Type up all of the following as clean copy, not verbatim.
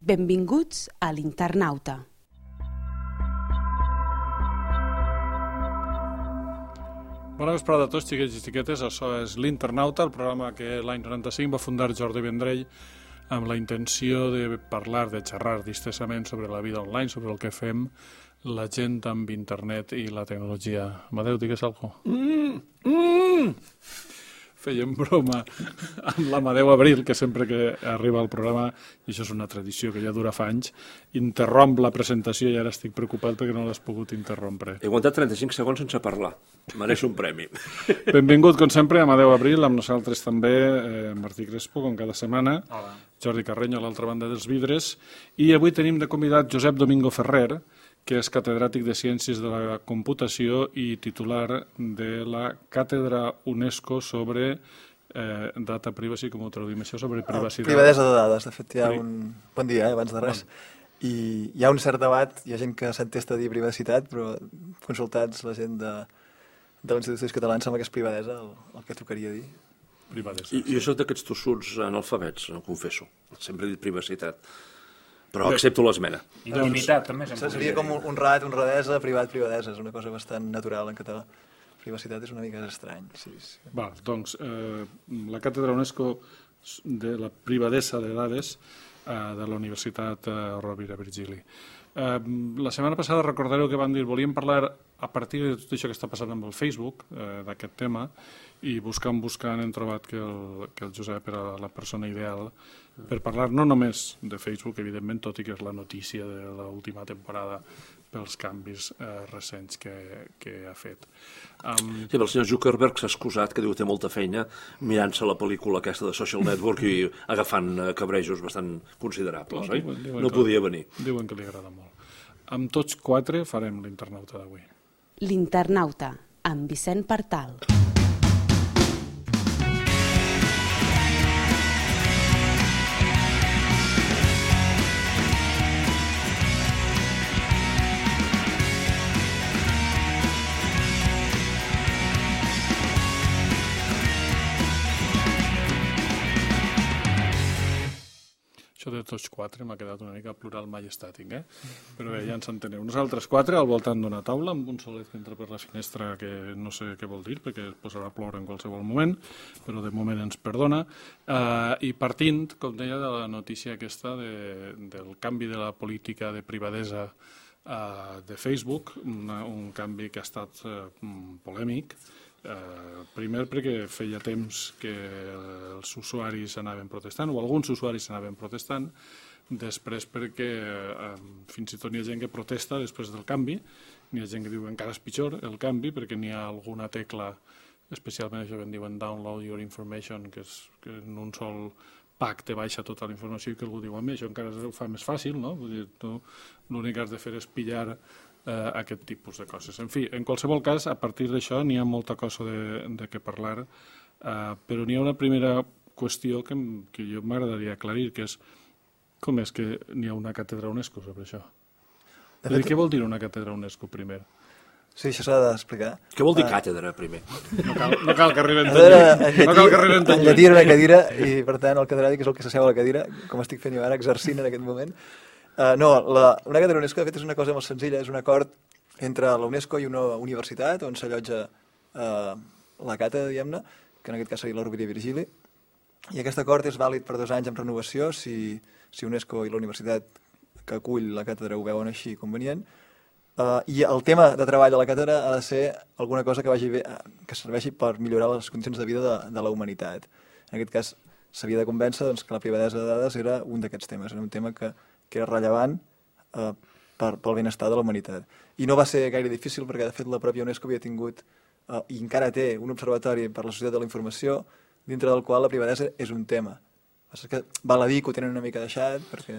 Benvinguts a l'Internauta. Bona vesprada a tots, xiquets i xiquetes. Això és l'Internauta, el programa que l'any 95 va fundar Jordi Vendrell amb la intenció de parlar, de xerrar distesament sobre la vida online, sobre el que fem la gent amb internet i la tecnologia. Amadeu, digues alguna cosa. Fèiem broma amb l'Amadeu Abril, que sempre que arriba al programa, i això és una tradició que ja dura fa anys, interromp la presentació i ara estic preocupat perquè no l'has pogut interrompre. He aguantat 35 segons sense parlar. Mereixo un premi. Benvingut, com sempre, Amadeu Abril, amb nosaltres també Martí Crespo, com cada setmana. Hola. Jordi Carreño, a l'altra banda dels vidres. I avui tenim de convidat Josep Domingo Ferrer, que és catedràtic de Ciències de la Computació i titular de la Càtedra UNESCO sobre Data Privacy, com ho traduïm això, sobre privacitat. Privadesa de dades, de fet hi ha un... Bon dia, abans de res. I hi ha un cert debat, hi ha gent que s'entesta a dir privacitat, però consultats la gent de l'Institut Català em sembla que és privadesa el que tocaria dir. Privadesa. Jo soc d'aquests tossuts analfabets, ho confesso. Sempre he dit privacitat. Però accepto l'esmena. Intimitat, també. Seria com un rat, un radesa, privat, privadesa. És una cosa bastant natural en català. Privacitat és una mica estrany. Sí. Va, doncs, la Càtedra UNESCO de la privadesa de dades de la Universitat Rovira Virgili. La setmana passada recordareu que van dir volíem parlar a partir de tot això que està passant amb el Facebook, d'aquest tema, i buscant hem trobat que el Josep era la persona ideal per parlar no només de Facebook, evidentment, tot i que és la notícia de l'última temporada pels canvis recents que ha fet. Sí, el senyor Zuckerberg s'ha excusat, que diu que té molta feina mirant-se la pel·lícula aquesta de Social Network i agafant cabrejos bastant considerables, oi? No podia venir. Diuen que li agrada molt. Amb tots quatre farem l'Internauta d'avui. L'Internauta, amb Vicent Partal. Això de tots quatre m'ha quedat una mica plural majestàtic, Però bé, ja ens enteneu. Nosaltres quatre al voltant d'una taula amb un solet que entra per la finestra que no sé què vol dir perquè es posarà a ploure en qualsevol moment, però de moment ens perdona. I partint, com deia, de la notícia aquesta del canvi de la política de privadesa de Facebook, un canvi que ha estat polèmic, primer perquè feia temps que els usuaris anaven protestant, o alguns usuaris anaven protestant, després perquè fins i tot n'hi ha gent que protesta després del canvi, n'hi ha gent que diu encara és pitjor el canvi perquè n'hi ha alguna tecla, especialment això que en diuen download your information, que en un sol pack te baixa tota la informació i que algú diu això encara ho fa més fàcil, no? Vull dir, tu l'únic que has de fer és pillar aquest tipus de coses. En fi, en qualsevol cas, a partir d'això n'hi ha molta cosa de què parlar, però n'hi ha una primera qüestió que jo m'agradaria aclarir, que és com és que n'hi ha una càtedra UNESCO sobre això? Què vol dir una càtedra UNESCO primer? Sí, això s'ha d'explicar. Què vol dir càtedra, primer? No cal que arribem tot lluny. En llatí era una cadira i, per tant, el catedràtic és el que s'asseu a la cadira, com estic fent jo ara, exercint en aquest moment. Una càtedra UNESCO, de fet, és una cosa molt senzilla, és un acord entre la UNESCO i una universitat on s'allotja la càtedra, diguem-ne, que en aquest cas seria la Rovira i Virgili, i aquest acord és vàlid per 2 anys amb renovació si UNESCO i la universitat que acull la càtedra ho veuen així convenient, i el tema de treball de la càtedra ha de ser alguna cosa que vagi bé, que serveixi per millorar les condicions de vida de la humanitat. En aquest cas, s'havia de convèncer que la privadesa de dades era un d'aquests temes, era un tema que era rellevant pel benestar de la humanitat. I no va ser gaire difícil perquè, de fet, la pròpia UNESCO havia tingut i encara té un observatori per la societat de la informació dintre del qual la privadesa és un tema. És que val a dir que ho tenen una mica deixat perquè...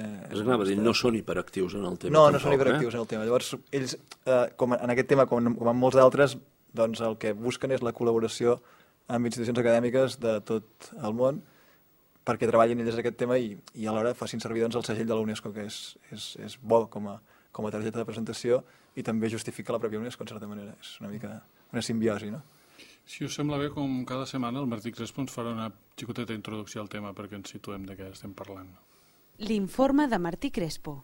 No són hiperactius en el tema. No són hiperactius en el tema. Llavors, ells, en aquest tema, com en molts d'altres, doncs el que busquen és la col·laboració amb institucions acadèmiques de tot el món perquè treballin ells aquest tema i alhora facin servir el segell de la UNESCO, que és bo com a targeta de presentació i també justifica la pròpia UNESCO, en certa manera. És una mica una simbiosi, no? Si us sembla bé, com cada setmana, el Martí Crespo ens farà una xicoteta introducció al tema perquè ens situem de què estem parlant. L'informe de Martí Crespo.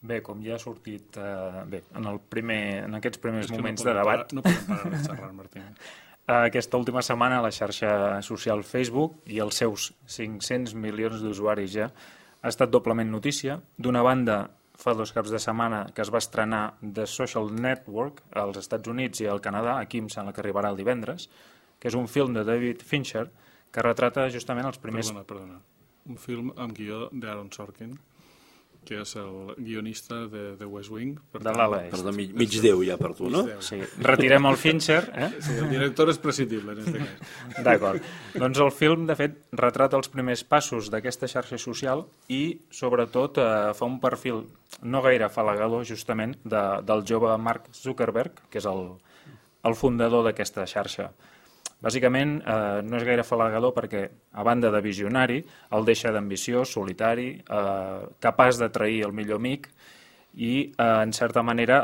Bé, com ja ha sortit en aquests primers És que moments de debat, No podem parar de xerrar, Martí. aquesta última setmana la xarxa social Facebook i els seus 500 milions d'usuaris ja ha estat doblement notícia. D'una banda, fa 2 caps de setmana que es va estrenar The Social Network als Estats Units i al Canadà, aquí em sembla que arribarà el divendres, que és un film de David Fincher que retrata justament els primers... Perdona. Un film amb guió d'Aaron Sorkin, que és el guionista de West Wing. De l'ala est. Perdó, mig Déu ja per tu, no? Sí, retirem el Fincher, Sí, el director és prescindible, en aquest cas. D'acord. Doncs el film, de fet, retrata els primers passos d'aquesta xarxa social i, sobretot, fa un perfil no gaire afalagador, justament, del jove Mark Zuckerberg, que és el fundador d'aquesta xarxa. Bàsicament, no és gaire afalagador perquè, a banda de visionari, el deixa d'ambiciós, solitari, capaç d'atrair el millor amic i, en certa manera,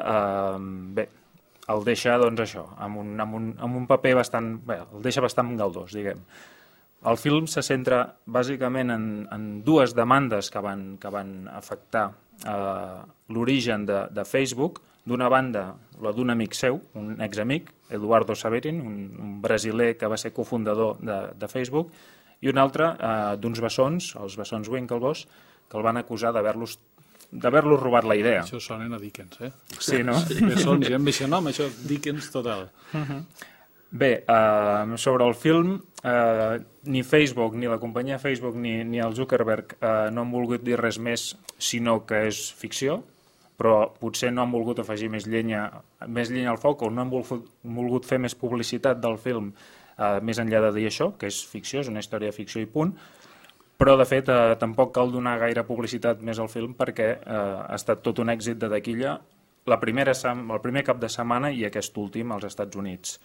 el deixa, doncs, això, amb un paper bastant... Bé, el deixa bastant galdós, diguem. El film se centra, bàsicament, en 2 demandes que van afectar l'origen de Facebook. D'una banda, la d'un amic seu, un examic, Eduardo Saverin, un brasiler que va ser cofundador de Facebook, i un altre d'uns bessons, els bessons Winklevoss, que el van acusar d'haver-los robat la idea. Això sonen a Dickens, eh? Sí, no? Bessons, i amb aquest nom, això Dickens total. Bé, sobre el film, ni Facebook, ni la companyia Facebook, ni el Zuckerberg no han volgut dir res més, sinó que és ficció, però potser no han volgut afegir més llenya al foc o no han volgut fer més publicitat del film més enllà de dir això, que és ficció, és una història de ficció i punt, però de fet tampoc cal donar gaire publicitat més al film perquè ha estat tot un èxit de taquilla el primer cap de setmana i aquest últim als Estats Units.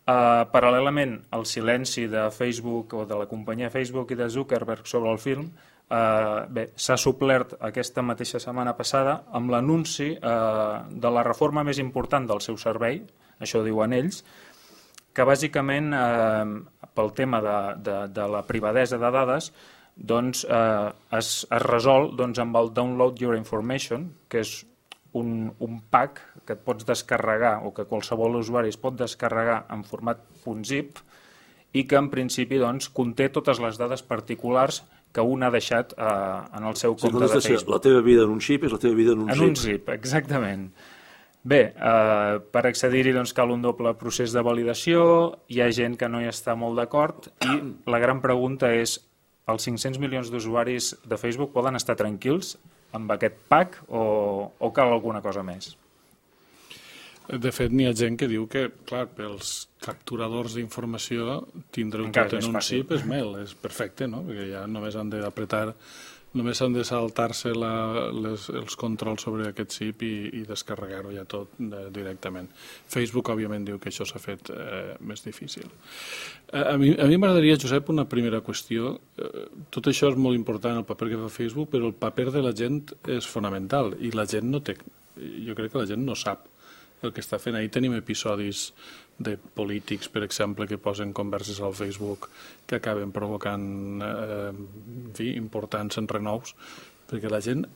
Paral·lelament, el silenci de Facebook o de la companyia Facebook i de Zuckerberg sobre el film s'ha suplert aquesta mateixa setmana passada amb l'anunci de la reforma més important del seu servei, això diuen ells, que bàsicament pel tema de la privadesa de dades doncs, es resol amb el Download Your Information, que és un pack que et pots descarregar o que qualsevol usuari es pot descarregar en format .zip i que en principi conté totes les dades particulars que un ha deixat en el seu compte de Facebook. La teva vida en un xip és la teva vida en un zip. En un zip, exactament. Bé, per accedir-hi cal un doble procés de validació, hi ha gent que no hi està molt d'acord i la gran pregunta és, els 500 milions d'usuaris de Facebook poden estar tranquils amb aquest pack o cal alguna cosa més? De fet, n'hi ha gent que diu que, clar, pels capturadors d'informació tindre-ho tot en un zip és és perfecte, no? Perquè ja només han d'apretar, només han de saltar-se els controls sobre aquest zip i descarregar-ho ja tot directament. Facebook, òbviament, diu que això s'ha fet més difícil. A mi m'agradaria, Josep, una primera qüestió. Tot això és molt important, el paper que fa Facebook, però el paper de la gent és fonamental i la gent no té... Jo crec que la gent no sap el que està fent. Ahir tenim episodis de polítics, per exemple, que posen converses al Facebook que acaben provocant importants enrenous, perquè la gent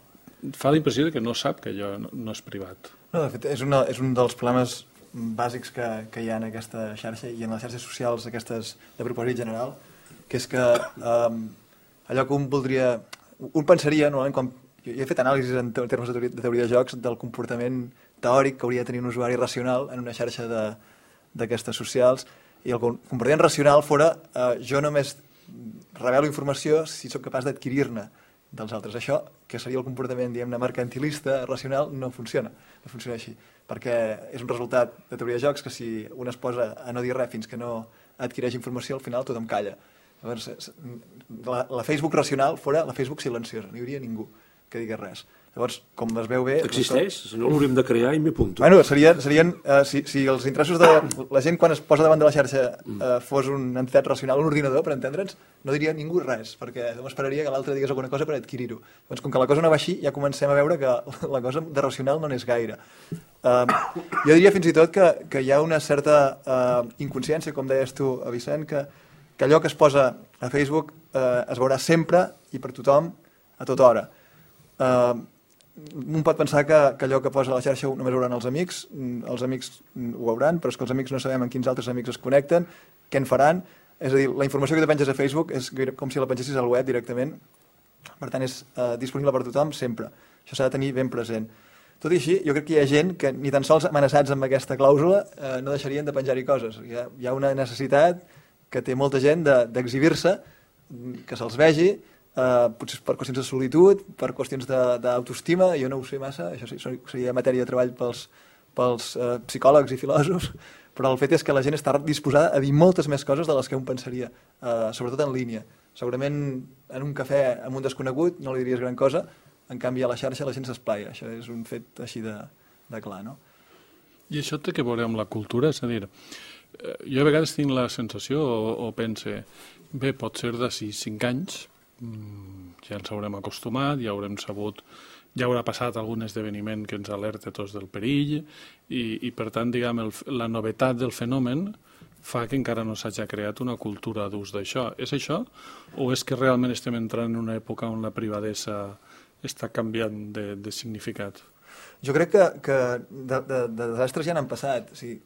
fa la impressió que no sap que allò no és privat. No, de fet, és un dels problemes bàsics que hi ha en aquesta xarxa i en les xarxes socials aquestes de propòsit general, que és que allò que un voldria... Un pensaria, normalment, jo he fet anàlisis en termes de teoria de jocs del comportament teòric que hauria de tenir un usuari racional en una xarxa d'aquestes socials, i el comportament racional fora jo només revelo informació si sóc capaç d'adquirir-ne dels altres. Això, que seria el comportament, diguem-ne, mercantilista, racional, no funciona així, perquè és un resultat de teoria de jocs que si un es posa a no dir res fins que no adquireix informació, al final tothom calla. Llavors, la Facebook racional fora la Facebook silenciosa, no hi hauria ningú que digués res. Llavors, com es veu bé... Existeix? No l'hauríem de crear i m'hi apunto. Bueno, serien si els interessos de la gent quan es posa davant de la xarxa fos una entitat racional, un ordinador, per entendre'ns, no diria ningú res, perquè esperaria que l'altre digués alguna cosa per adquirir-ho. Doncs com que la cosa no va així, ja comencem a veure que la cosa de racional no n'és gaire. Jo diria fins i tot que hi ha una certa inconsciència, com deies tu, Vicent, que allò que es posa a Facebook es veurà sempre i per tothom a tota hora. Un pot pensar que allò que posa a la xarxa només ho veuran els amics ho veuran, però és que els amics no sabem en quins altres amics es connecten, què en faran. És a dir, la informació que te penges a Facebook és com si la pengessis al web directament, per tant és disponible per tothom sempre. Això s'ha de tenir ben present. Tot i així, jo crec que hi ha gent que ni tan sols amenaçats amb aquesta clàusula no deixarien de penjar-hi coses. Hi ha una necessitat que té molta gent d'exhibir-se, que se'ls vegi, potser per qüestions de solitud, per qüestions d'autoestima, jo no ho sé massa, això sí, seria matèria de treball pels psicòlegs i filòsofs, però el fet és que la gent està disposada a dir moltes més coses de les que un pensaria, sobretot en línia. Segurament en un cafè amb un desconegut no li diries gran cosa, en canvi a la xarxa la gent s'esplaia, això és un fet així de clar, no? I això té que veure amb la cultura? És a dir, jo a vegades tinc la sensació o pense, bé, pot ser d'ací 5 anys, ja ens haurem acostumat, ja haurem sabut, ja haurà passat algun esdeveniment que ens alerta tots del perill i per tant, diguem, la novetat del fenomen fa que encara no s'hagi creat una cultura d'ús d'això. És això? O és que realment estem entrant en una època on la privadesa està canviant de significat? Jo crec que de desastres ja n'han passat. O sigui,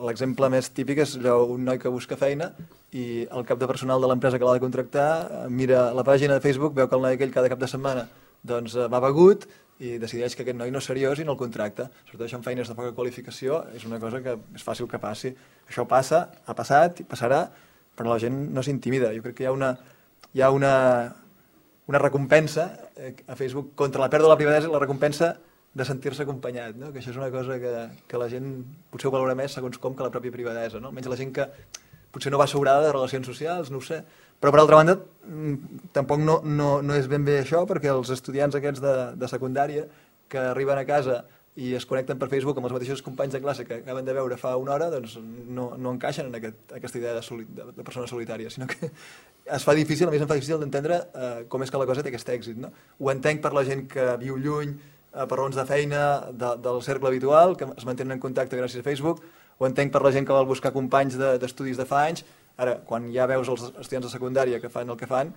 l'exemple més típic és un noi que busca feina i el cap de personal de l'empresa que l'ha de contractar mira la pàgina de Facebook, veu que el noi aquell cada cap de setmana doncs, va begut i decideix que aquest noi no és seriós i no el contracta. Sobretot això en feines de poca qualificació és una cosa que és fàcil que passi. Això passa, ha passat i passarà, però la gent no s'intimida. Jo crec que hi ha una recompensa a Facebook contra la pèrdua de la privadesa i la recompensa de sentir-se acompanyat, no? Que això és una cosa que la gent potser ho valora més segons com que la pròpia privadesa, no? Almenys la gent que potser no va sobrada de relacions socials, no ho sé. Però per altra banda, tampoc no és ben bé això, perquè els estudiants aquests de secundària que arriben a casa i es connecten per Facebook amb els mateixos companys de classe que acaben de veure fa una hora, doncs no encaixen en aquesta idea de persona solitària, sinó que es fa difícil, a més em fa difícil d'entendre com és que la cosa té aquest èxit, no? Ho entenc per la gent que viu lluny, per raons de feina, del cercle habitual, que es mantenen en contacte gràcies a Facebook, ho entenc per la gent que vol buscar companys d'estudis de fa anys. Ara, quan ja veus els estudiants de secundària que fan el que fan,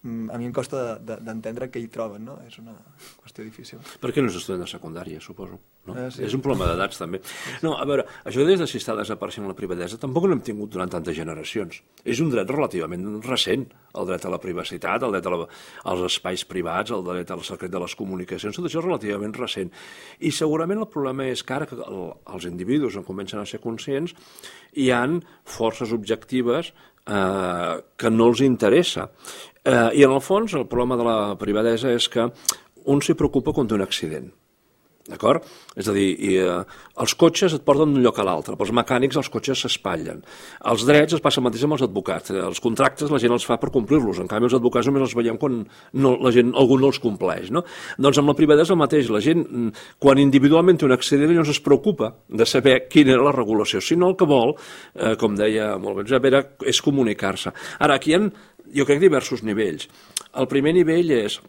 a mi em costa d'entendre què hi troben, no? És una qüestió difícil. Per què no és estudiant de secundària, suposo? No? Sí. És un problema d'edats, també. No, a veure, això des de si està desapareixent la privadesa tampoc no hem tingut durant tantes generacions. És un dret relativament recent, el dret a la privacitat, el dret als espais privats, el dret al secret de les comunicacions, tot això és relativament recent. I segurament el problema és que ara que els individus en comencen a ser conscients, hi han forces objectives que no els interessa. I en el fons el problema de la privadesa és que un s'hi preocupa quan té un accident. D'acord? És a dir, els cotxes et porten d'un lloc a l'altre, pels mecànics els cotxes s'espatllen. Els drets es passa mateix amb els advocats. Els contractes la gent els fa per complir-los, en canvi els advocats només els veiem quan algú no els compleix. No? Doncs amb la privadesa el mateix. La gent, quan individualment té un accident, no es preocupa de saber quina era la regulació, sinó el que vol, com deia molt bé Josep, és comunicar-se. Ara, aquí hi ha, jo crec, diversos nivells. El primer nivell és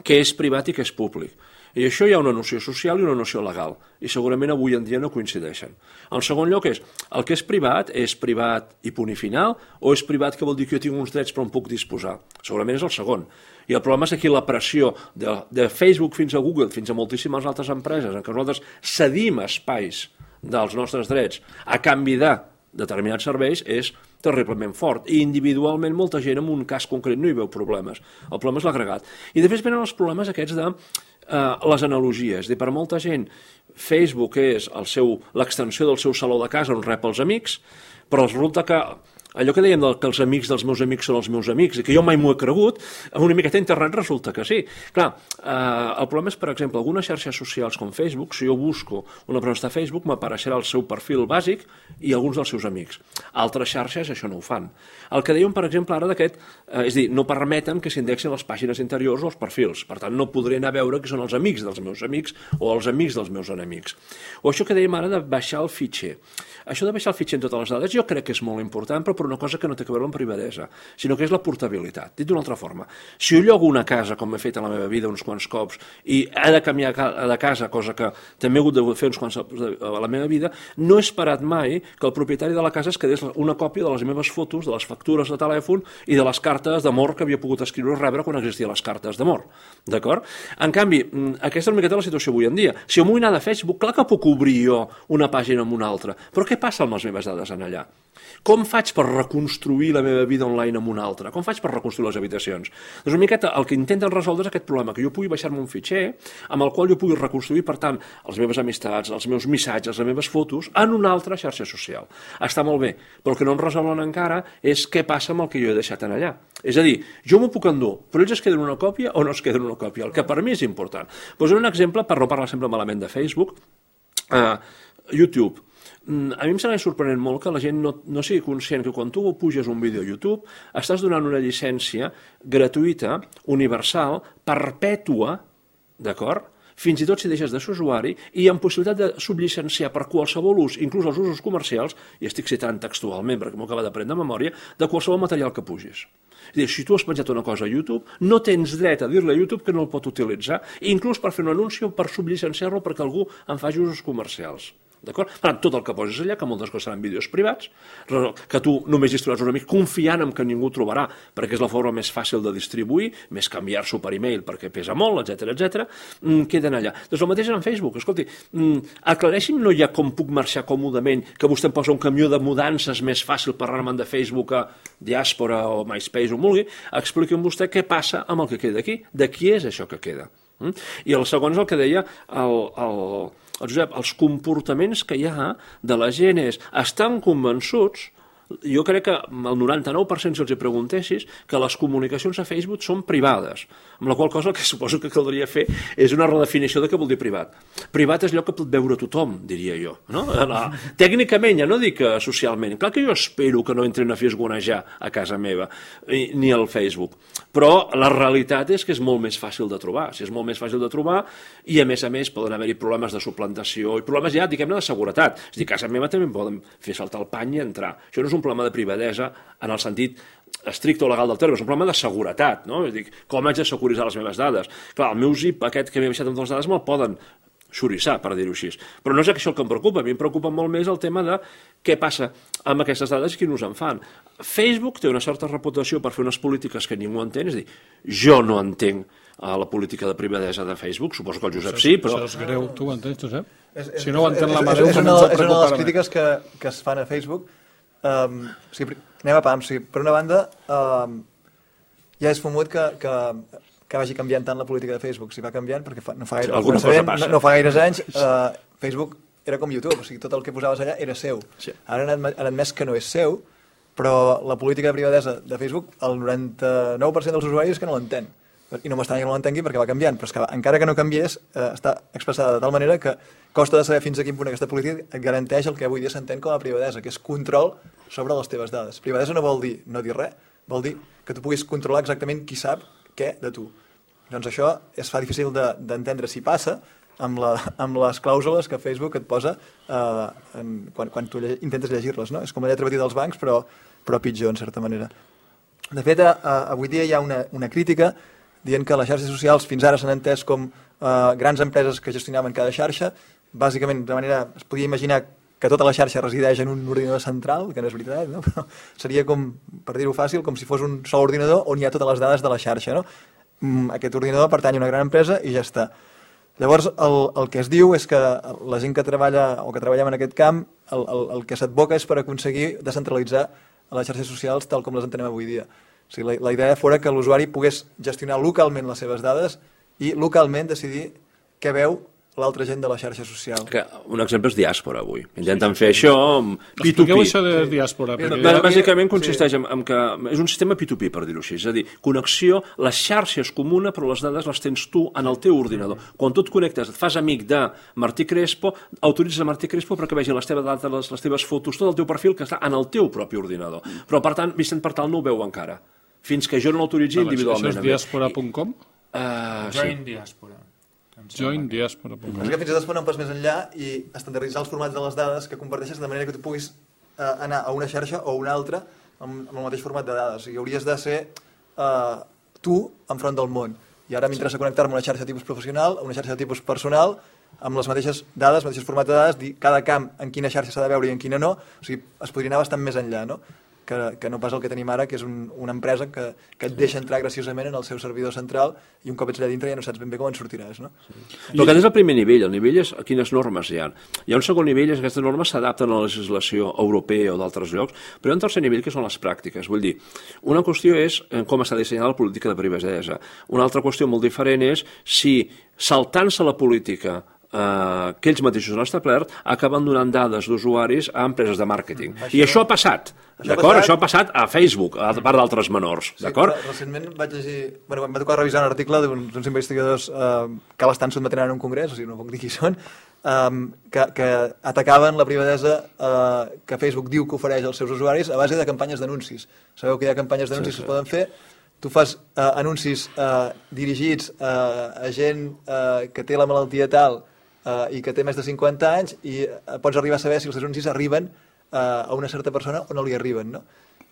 què és privat i què és públic. I això hi ha una noció social i una noció legal, i segurament avui en dia no coincideixen. En segon lloc és, el que és privat i punt i final, o és privat que vol dir que jo tinc uns drets però en puc disposar? Segurament és el segon. I el problema és aquí la pressió de Facebook fins a Google, fins a moltíssimes altres empreses, en què nosaltres cedim espais dels nostres drets a canvi de determinats serveis, és terriblement fort. I individualment molta gent en un cas concret no hi veu problemes. El problema és l'agregat. I després venen els problemes aquests de les analogies. Per molta gent, Facebook és l'extensió del seu saló de casa on rep els amics, però resulta que allò que dèiem que els amics dels meus amics són els meus amics i que jo mai m'ho he cregut, amb una miqueta d'internet resulta que sí. Clar, el problema és, per exemple, algunes xarxes socials com Facebook, si jo busco una persona a Facebook, m'apareixerà el seu perfil bàsic i alguns dels seus amics. Altres xarxes això no ho fan. El que dèiem, per exemple, ara d'aquest, és dir, no permeten que s'indexin les pàgines interiors o els perfils. Per tant, no podré anar a veure que són els amics dels meus amics o els amics dels meus enemics. O això que dèiem ara de baixar el fitxer. Això de baixar el fitxer en totes les dades jo crec que és molt important, però per una cosa que no té a veure amb privadesa, sinó que és la portabilitat. Dit d'una altra forma, si jo llogo una casa, com he fet a la meva vida uns quants cops, i he de canviar de casa, cosa que també he hagut de fer uns quants a la meva vida, no he esperat mai que el propietari de la casa es quedés una còpia de les meves fotos, de les factures de telèfon i de les cartes d'amor que havia pogut escriure o rebre quan existien les cartes d'amor. D'acord? En canvi, aquesta és una miqueta la situació avui en dia. Si jo m'ho vull anar de Facebook, clar que puc obrir jo una pàgina amb una altra, però què passa amb les meves dades en allà? Com faig per reconstruir la meva vida online amb una altra? Com faig per reconstruir les habitacions? Doncs una miqueta el que intenten resoldre és aquest problema, que jo pugui baixar-me un fitxer amb el qual jo pugui reconstruir, per tant, les meves amistats, els meus missatges, les meves fotos, en una altra xarxa social. Està molt bé, però el que no em resolen encara és què passa amb el que jo he deixat en allà. És a dir, jo m'ho puc endur, però ells es queden una còpia o no es queden una còpia, el que per mi és important. Posaré un exemple, per no parlar sempre malament de Facebook, YouTube. A mi em sembla sorprenent molt que la gent no sigui conscient que quan tu puges un vídeo a YouTube estàs donant una llicència gratuïta, universal, perpètua, d'acord? Fins i tot si deixes de ser usuari i amb possibilitat de subllicenciar per qualsevol ús, inclús els usos comercials, i estic citant textualment perquè m'ho acaba d'aprendre de memòria, de qualsevol material que pugis. És a dir, si tu has penjat una cosa a YouTube, no tens dret a dir-li a YouTube que no el pot utilitzar, inclús per fer un anunci o per subllicenciar-lo perquè algú en faci usos comercials. D'acord? Per tant, tot el que posis allà, que moltes coses seran vídeos privats, que tu només distribuiràs un amic confiant en que ningú trobarà, perquè és la forma més fàcil de distribuir, més canviar-s'ho per e-mail perquè pesa molt, etc, queden allà. Doncs el mateix en Facebook. Escolti, aclareixin no ja com puc marxar còmodament, que vostè em posa un camió de mudances més fàcil per anar-me'n de Facebook a Diàspora o MySpace o vulgui, expliqui'm vostè què passa amb el que queda aquí, de qui és això que queda. I el segon és el que deia el Josep, els comportaments que hi ha de la gent estan convençuts, jo crec que el 99% si els hi preguntessis que les comunicacions a Facebook són privades, amb la qual cosa el que suposo que caldria fer és una redefinició de què vol dir privat. Privat és allò que pot veure tothom, diria jo. No? Tècnicament, ja no dic socialment. Clar que jo espero que no entrin a fisgonejar a casa meva, ni al Facebook, però la realitat és que és molt més fàcil de trobar. Si és molt més fàcil de trobar i a més poden haver-hi problemes de suplantació i problemes ja, diguem-ne, de seguretat. És a dir, a casa meva també poden fer saltar el pany i entrar. Això no és un problema de privadesa en el sentit estricte o legal del terme, és un problema de seguretat, no? És a dir, com haig de securitzar les meves dades? Clar, el meu zip aquest que m'he baixat amb les dades me'l poden xorissar, per dir-ho així. Però no és això el que em preocupa, a mi em preocupa molt més el tema de què passa amb aquestes dades i qui nos en fan. Facebook té una certa reputació per fer unes polítiques que ningú entén, és a dir, jo no entenc la política de privadesa de Facebook, suposo que el Josep sí, però... Això és greu, tu ho entens, Josep? Si no ho entén la Madeu, és una de les crítiques que es fan a Facebook. Anem a pams. Per una banda, ja és fumut que vagi canviant tant la política de Facebook. Si va canviant, perquè no fa gaires anys, Facebook era com YouTube, o sigui, tot el que posaves allà era seu. Sí. Ara han admès que no és seu, però la política de privadesa de Facebook, el 99% dels usuaris és que no l'entén. I no m'estranya que no l'entengui perquè va canviant, però és que encara que no canviés, està expressada de tal manera que costa de saber fins a quin punt aquesta política et garanteix el que avui dia s'entén com a privadesa, que és control sobre les teves dades. Privadesa no vol dir no dir res, vol dir que tu puguis controlar exactament qui sap què de tu. Doncs això es fa difícil d'entendre si passa amb les clàusules que Facebook et posa quan tu intentes llegir-les. No? És com la lletra petita dels bancs, però pitjor, en certa manera. De fet, avui dia hi ha una crítica dient que les xarxes socials fins ara s'han entès com grans empreses que gestionaven cada xarxa. Bàsicament, de manera, es podia imaginar que tota la xarxa resideix en un ordinador central, que no és veritat, no? Però seria com, per dir-ho fàcil, com si fos un sol ordinador on hi ha totes les dades de la xarxa. No? Aquest ordinador pertany a una gran empresa i ja està. Llavors, el que es diu és que la gent que treballa o que treballem en aquest camp, el que s'advoca és per aconseguir descentralitzar les xarxes socials tal com les entenem avui dia. O sigui, la idea fora que l'usuari pogués gestionar localment les seves dades i localment decidir què veu l'altra gent de la xarxa social. Un exemple és Diàspora, avui. Intenten fer això amb P2P. Expliqueu això de Diàspora. Bàsicament consisteix en que és un sistema P2P, per dir-ho així. És a dir, connexió, la xarxa és comuna, però les dades les tens tu en el teu ordinador. Quan tu et connectes, et fas amic de Martí Crespo, autoritzes a Martí Crespo perquè vegi les teves dades, les teves fotos, tot el teu perfil que està en el teu propi ordinador. Però, per tant, Vicent Partal no ho veu encara. Fins que jo no l'autoritzi individualment. Això és diàspora.com? Join Diàspora. Join Diàspora.com. És que fins i tot es ponen un pas més enllà i estandarditzar els formats de les dades que comparteixes de manera que tu puguis anar a una xarxa o una altra amb el mateix format de dades. O sigui, hauries de ser tu enfront del món. I ara m'interessa connectar-me a una xarxa de tipus professional, a una xarxa de tipus personal, amb les mateixes dades, mateixos formats de dades, dir cada camp en quina xarxa s'ha de veure i en quina no. O sigui, es podria anar bastant més enllà, no? Que no pas el que tenim ara, que és una empresa que et deixa entrar graciosament en el seu servidor central i un cop ets allà dintre ja no saps ben bé com en sortiràs, no? Però aquest és el primer nivell. El nivell és quines normes hi ha. Hi ha un segon nivell, és que aquestes normes s'adapten a la legislació europea o d'altres llocs, però hi ha un tercer nivell que són les pràctiques. Vull dir, una qüestió és com està dissenyada la política de privadesa. Una altra qüestió molt diferent és si, saltant-se la política que ells mateixos han establert, acaben donant dades d'usuaris a empreses de màrqueting. I això ha passat, d'acord? Això ha passat a Facebook, a part d'altres menors, d'acord? Recentment vaig llegir... Bueno, em va tocar revisar un article d'uns investigadors que l'estan sotmetent en un congrés, o sigui, no puc dir qui són, que atacaven la privadesa que Facebook diu que ofereix als seus usuaris a base de campanyes d'anuncis. Sabeu que hi ha campanyes d'anuncis que es poden fer. Tu fas anuncis dirigits a gent que té la malaltia tal i que té més de 50 anys i pots arribar a saber si els anuncis arriben a una certa persona o no li arriben, no?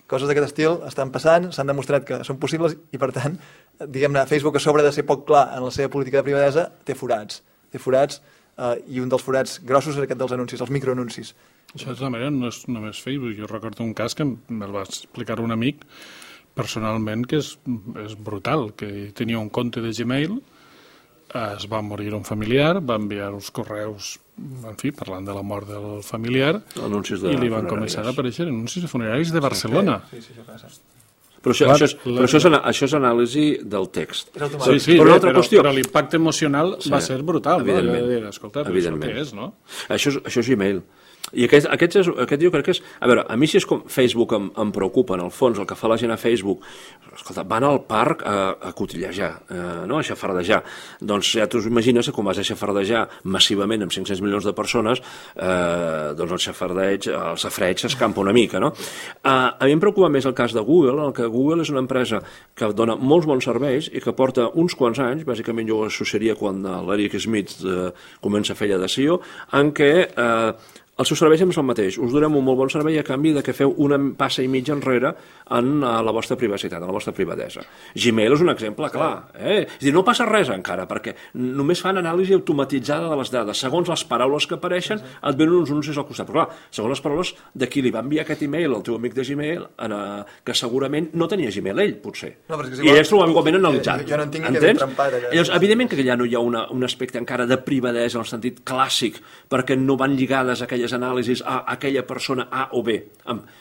Coses d'aquest estil estan passant, s'han demostrat que són possibles i, per tant, diguem-ne, Facebook, a sobre de ser poc clar en la seva política de privadesa, té forats. I un dels forats grossos és aquest dels anuncis, els microanuncis. Això, de tota manera, no és només Facebook. Jo recordo un cas que me'l va explicar un amic personalment, que és brutal, que tenia un compte de Gmail, es va morir un familiar, va enviar uns correus, en fi, parlant de la mort del familiar, i li van començar a aparèixer anuncis de funeraris de Barcelona. Sí, això passa. Però això és anàlisi del text. Sí, però l'impacte emocional va ser brutal. Evidentment. Escolta, però això què és, no? Això és Gmail. I aquest jo crec que és... A veure, a mi si és com Facebook em preocupa, en el fons, el que fa la gent a Facebook, escolta, van al parc a cotillejar, no? A xafardejar. Doncs ja t'ho imagines que quan vas a xafardejar massivament amb 500 milions de persones, doncs el safreig s'escampa una mica, no? A mi em preocupa més el cas de Google, en què Google és una empresa que dona molts bons serveis i que porta uns quants anys, bàsicament jo ho associaria quan l'Eric Schmidt comença a fer allà de CEO, en què el seu servei sempre és el mateix. Us donem un molt bon servei a canvi de que feu una passa i mitja enrere en la vostra privacitat, en la vostra privadesa. Gmail és un exemple clar. És a dir, no passa res encara, perquè només fan anàlisi automatitzada de les dades. Segons les paraules que apareixen, et venen uns anuncis al costat. Però clar, segons les paraules de qui li va enviar aquest email al teu amic de Gmail, que segurament no tenia Gmail ell, potser. I ells l'ho han igualment analitzat. Jo no entenc que quedi trampat allà. Llavors, evidentment que ja no hi ha un aspecte encara de privadesa en el sentit clàssic, perquè no van lligades aquelles anàlisis a aquella persona A o B.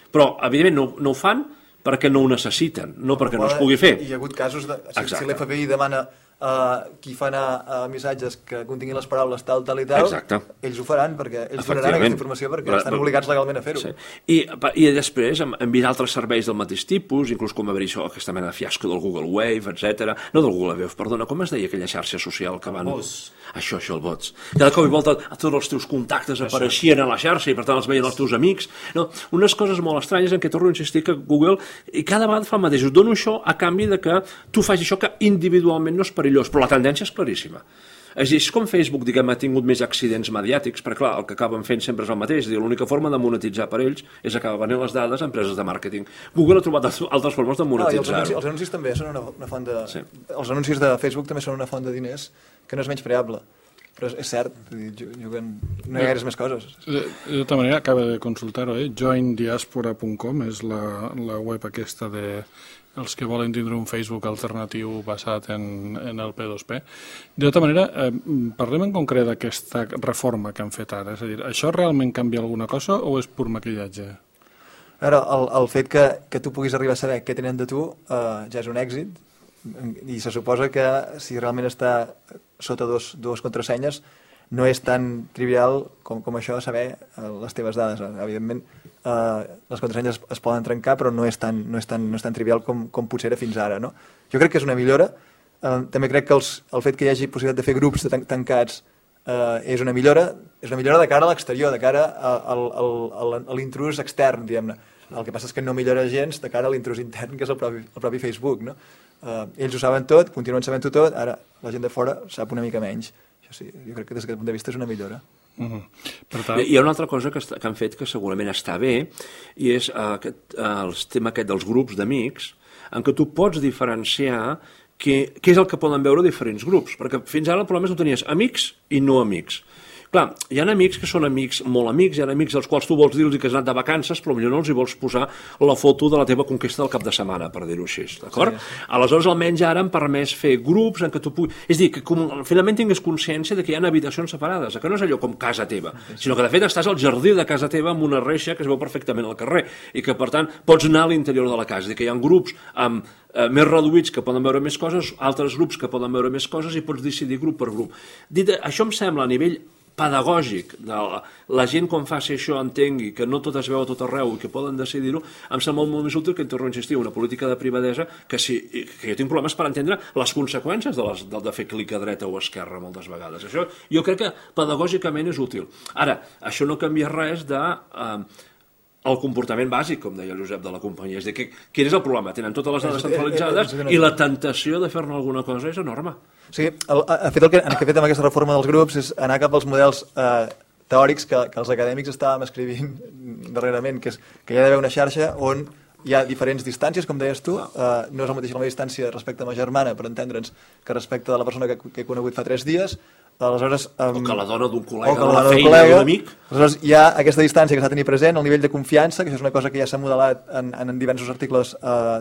Però, evidentment, no ho fan perquè no ho necessiten, no perquè no es pugui fer. Hi ha hagut casos de... Si l'FBI demana qui fa anar missatges que continguin les paraules tal i tal, ells ho faran, perquè ells donaran aquesta informació perquè estan obligats legalment a fer-ho. I després, amb altres serveis del mateix tipus, inclús com haver-hi aquesta mena de fiasco del Google Wave, etc. No del Google Wave, perdona, com es deia aquella xarxa social que van... Això, el bots. Cada cop i volta tots els teus contactes apareixien a la xarxa i per tant els veien els teus amics. Unes coses molt estranyes en què torno a insistir que Google i cada vegada fa el mateix. Us dono això a canvi de que tu facis això que individualment no és perillós, però la tendència és claríssima. És a dir, és com Facebook, diguem, ha tingut més accidents mediàtics, perquè clar, el que acaben fent sempre és el mateix. És a dir, l'única forma de monetitzar per ells és acabar venent les dades a empreses de màrqueting. Google ha trobat altres formes de monetitzar-ho. Els anuncis també són una font de... Els anuncis de Facebook també són una font de diners que no és menyspreable. Però és cert, no hi ha gaires més coses. De tota manera, acaba de consultar-ho, joindiaspora.com és la web aquesta de els que volen tindre un Facebook alternatiu basat en el P2P. De tota manera, parlem en concret d'aquesta reforma que han fet ara. És a dir, això realment canvia alguna cosa o és pur maquillatge? Ara, el fet que tu puguis arribar a saber què tenen de tu ja és un èxit, i se suposa que si realment està sota dues contrasenyes no és tan trivial com això saber les teves dades. Evidentment, les contrasenyes es poden trencar, però no és tan trivial com potser era fins ara, no? Jo crec que és una millora. També crec que el fet que hi hagi possibilitat de fer grups tancats és una millora de cara a l'exterior, de cara a l'intrús extern, diguem-ne. El que passa és que no millora gens de cara a l'intrús intern, que és el propi Facebook, no? Ells ho saben tot, continuen sabent-ho tot, ara la gent de fora sap una mica menys. Això sí, jo crec que des d'aquest punt de vista és una millora. Per tant, Hi ha una altra cosa que han fet que segurament està bé, i és el tema aquest dels grups d'amics, en què tu pots diferenciar què és el que poden veure diferents grups, perquè fins ara el problema és que tu tenies amics i no amics. Clar, hi ha amics que són amics, molt amics, hi ha amics als quals tu vols dir-los que has anat de vacances, però potser no els hi vols posar la foto de la teva conquesta del cap de setmana, per dir-ho així, d'acord? Aleshores, almenys ara han permès fer grups en què tu puguis... És a dir, que finalment tinguis consciència de que hi ha habitacions separades, que no és allò com casa teva, sinó que de fet estàs al jardí de casa teva amb una reixa que es veu perfectament al carrer i que, per tant, pots anar a l'interior de la casa. És a dir, que hi ha grups amb més reduïts que poden veure més coses, altres grups que poden veure més coses i pots decidir grup per grup. Això em sembla a nivell pedagògic, de la gent quan faci això entengui que no tot es veu a tot arreu i que poden decidir-ho, em sembla molt més útil que, torno a insistir, una política de privadesa que jo tinc problemes per entendre les conseqüències de fer clic a dreta o a esquerra moltes vegades. Això jo crec que pedagògicament és útil. Ara, això no canvia res de el comportament bàsic, com deia el Josep, de la companyia. És a dir, quin és el problema? Tenen totes les dades centralitzades i la tentació de fer-ne alguna cosa és enorme. O sigui, el que hem fet amb aquesta reforma dels grups és anar cap als models teòrics que els acadèmics estàvem escrivint darrerament, que hi ha d'haver una xarxa on hi ha diferents distàncies, com deies tu, no és la mateixa distància respecte a ma germana, per entendre'ns, que respecte a la persona que he conegut fa 3 dies, aleshores... O que la dona d'un col·lega, de la feina, d'un amic. Aleshores, hi ha aquesta distància que s'ha de tenir present, el nivell de confiança, que això és una cosa que ja s'ha modelat en diversos articles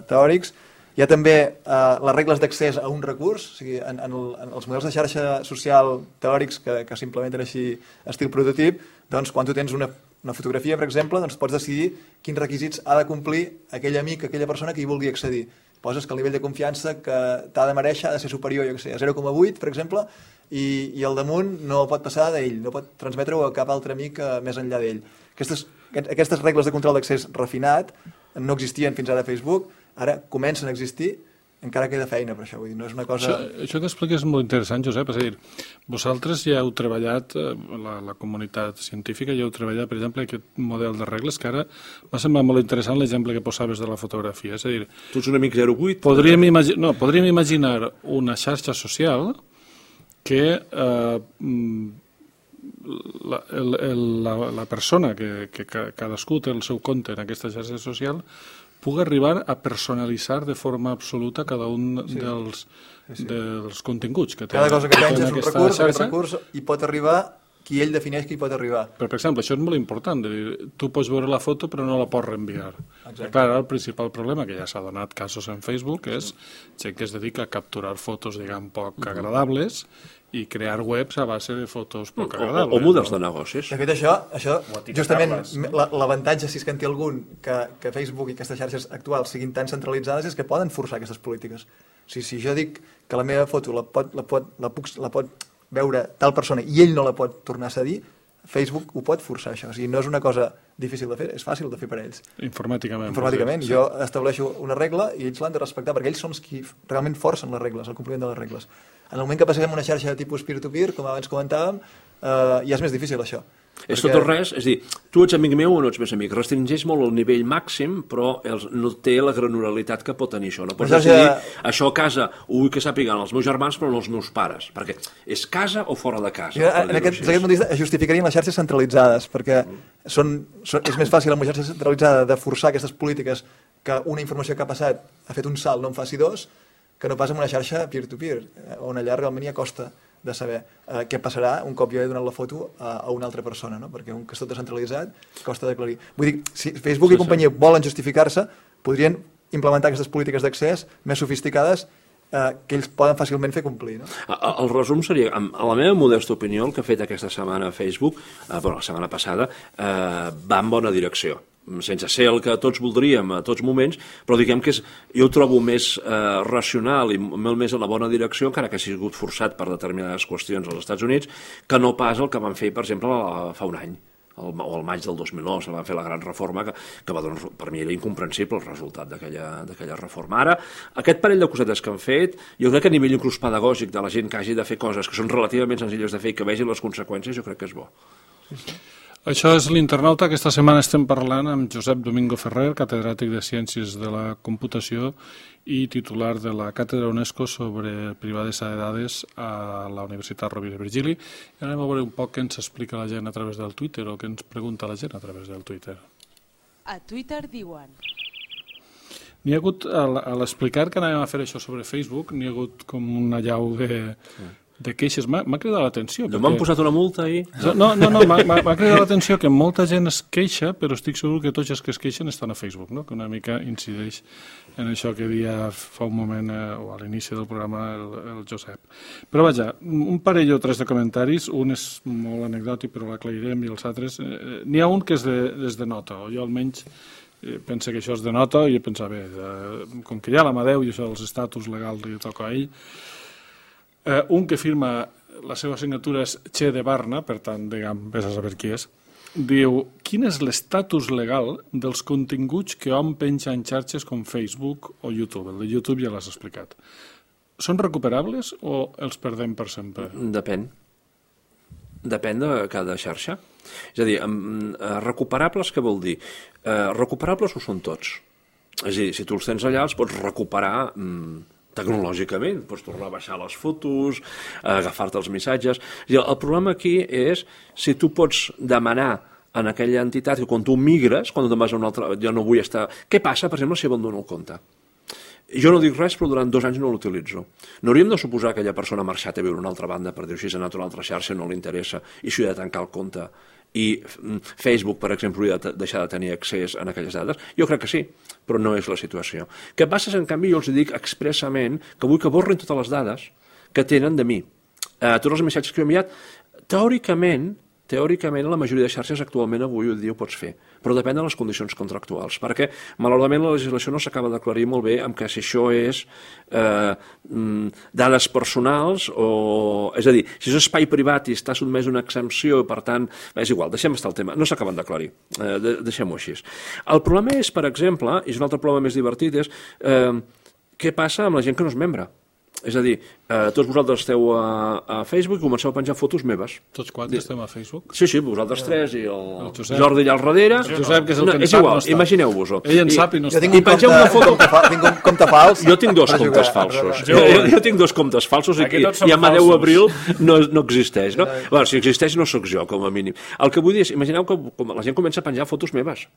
teòrics. Hi ha també les regles d'accés a un recurs, o sigui, en els models de xarxa social teòrics que s'implementen així estil prototip, doncs quan tu tens una fotografia, per exemple, doncs pots decidir quins requisits ha de complir aquell amic, aquella persona que hi vulgui accedir. Poses que el nivell de confiança que t'ha de mereixer ha de ser superior, jo què sé, a 0,8, per exemple, i el damunt no pot passar d'ell, no pot transmetre-ho a cap altre amic més enllà d'ell. Aquestes regles de control d'accés refinat no existien fins ara a Facebook, ara comencen a existir, encara queda feina per això, vull dir, no és una cosa... Això que expliques és molt interessant, Josep, és a dir, vosaltres ja heu treballat, la comunitat científica ja heu treballat, per exemple, aquest model de regles, que ara m'ha semblat molt interessant l'exemple que posaves de la fotografia, és a dir... Tu ets un amic 08? Podríem imaginar una xarxa social que la persona que cadascú té el seu compte en aquesta xarxa social pugui arribar a personalitzar de forma absoluta cada un dels continguts que té. Cada cosa que tens és un recurs, aquest recurs hi pot arribar qui ell defineix que hi pot arribar. Però, per exemple, això és molt important, tu pots veure la foto però no la pots reenviar. Clar, el principal problema, que ja s'ha donat casos en Facebook, és gent que es dedica a capturar fotos, diguem, poc agradables i crear webs a base de fotos poc agradables. O models de negocis. De fet, això justament, l'avantatge, si és que en té algun, que Facebook i aquestes xarxes actuals siguin tan centralitzades, és que poden forçar aquestes polítiques. O sigui, si jo dic que la meva foto la pot veure tal persona i ell no la pot tornar a cedir, Facebook ho pot forçar, això. O sigui, no és una cosa difícil de fer, és fàcil de fer per ells. Informàticament. Jo estableixo una regla i ells l'han de respectar, perquè ells són els qui realment forcen les regles, el compliment de les regles. En el moment que passem una xarxa de tipus peer-to-peer, com abans comentàvem, ja és més difícil això. És tot o res, és a dir, tu ets amic meu o no ets més amic, restringeix molt el nivell màxim, però no té la granularitat que pot tenir això. No pots decidir, això a casa ho vull que sàpiguen els meus germans però no els meus pares, perquè és casa o fora de casa. En aquest punt de vista es justificarien les xarxes centralitzades, perquè és més fàcil amb una xarxa centralitzada de forçar aquestes polítiques que una informació que ha passat ha fet un salt, no en faci dos, que no pas amb una xarxa peer-to-peer, on allà realment hi ha costa de saber què passarà un cop jo he donat la foto a una altra persona, no? Perquè un que és tot descentralitzat costa d'aclarir. Vull dir, si Facebook i companyia volen justificar-se, podrien implementar aquestes polítiques d'accés més sofisticades que ells poden fàcilment fer complir. No? El resum seria, a la meva modesta opinió, el que ha fet aquesta setmana a Facebook, la setmana passada, va en bona direcció. Sense ser el que tots voldríem a tots moments, però diguem que jo ho trobo més racional i molt més a la bona direcció, encara que ha sigut forçat per determinades qüestions als Estats Units, que no pas el que van fer, per exemple, fa un any, o al maig del 2009, se van fer la gran reforma, que va donar, per mi era incomprensible el resultat d'aquella reforma. Ara, aquest parell de cosetes que han fet, jo crec que a nivell inclús pedagògic de la gent que hagi de fer coses que són relativament senzilles de fer i que vegin les conseqüències, jo crec que és bo. Això és l'Internauta. Aquesta setmana estem parlant amb Josep Domingo Ferrer, catedràtic de Ciències de la Computació i titular de la Càtedra UNESCO sobre privadesa de dades a la Universitat Rovira i Virgili. I anem a veure un poc què ens explica la gent a través del Twitter o què ens pregunta la gent a través del Twitter. A Twitter diuen... N'hi ha hagut, a l'explicar que anàvem a fer això sobre Facebook, n'hi ha hagut com una llau de queixes. M'ha cridat l'atenció. No m'han posat una multa ahir? No, m'ha cridat l'atenció que molta gent es queixa, però estic segur que tots els que es queixen estan a Facebook, no? Que una mica incideix en això que deia fa un moment, o a l'inici del programa, el Josep. Però vaja, un parell o tres de comentaris, un és molt anecdòtic, però l'aclarirem, i els altres... N'hi ha un que és de nota, o jo almenys penso que això és de nota, i pensava, bé, com que hi ha l'Amadeu i això dels estatus legals li toca a ell, un que firma la seva signatura és Che de Barna, per tant, diguem, vés a saber qui és, diu, quin és l'estatus legal dels continguts que hom penja en xarxes com Facebook o YouTube? El de YouTube ja l'has explicat. Són recuperables o els perdem per sempre? Depèn. Depèn de cada xarxa. És a dir, recuperables què vol dir? Recuperables ho són tots. És a dir, si tu els tens allà els pots recuperar tecnològicament, pots tornar a baixar les fotos, agafar-te els missatges. El problema aquí és si tu pots demanar en aquella entitat que quan tu migres, quan tu vas a una altra... Jo no vull estar... Què passa, per exemple, si abandono el compte? Jo no dic res, però durant 2 anys no l'utilitzo. No hauríem de suposar que aquella persona ha marxat a viure a una altra banda per dir si s'ha anat a una altra xarxa, no li interessa, i si ha de tancar el compte. I Facebook, per exemple, hauria de deixar de tenir accés a aquelles dades? Jo crec que sí, però no és la situació. Què passa és, en canvi, jo els dic expressament que vull que borrin totes les dades que tenen de mi. Tots els missatges que he enviat, teòricament, la majoria de xarxes actualment avui dia ho pots fer, però depèn de les condicions contractuals, perquè malauradament la legislació no s'acaba d'aclarir molt bé amb que si això és dades personals o... És a dir, si és espai privat i està sotmès a una exempció, per tant, és igual, deixem estar el tema, no s'acaben d'aclarir, deixem-ho així. El problema és, per exemple, i és un altre problema més divertit, és què passa amb la gent que no és membre? És a dir, tots vosaltres esteu a Facebook i comenceu a penjar fotos meves. Tots 4 estem a Facebook? Sí, vosaltres 3 i el Jordi allà al darrere. El Josep, que és el que és igual, imagineu-vos-ho. Ell en sap i no està. I pengeu una foto... Tinc un compte fals. Jo tinc 2 comptes falsos. Jo tinc 2 comptes falsos i Amadeu Abril no existeix, no? Bueno, si existeix no sóc jo, com a mínim. El que vull dir és, imagineu que la gent comença a penjar fotos meves.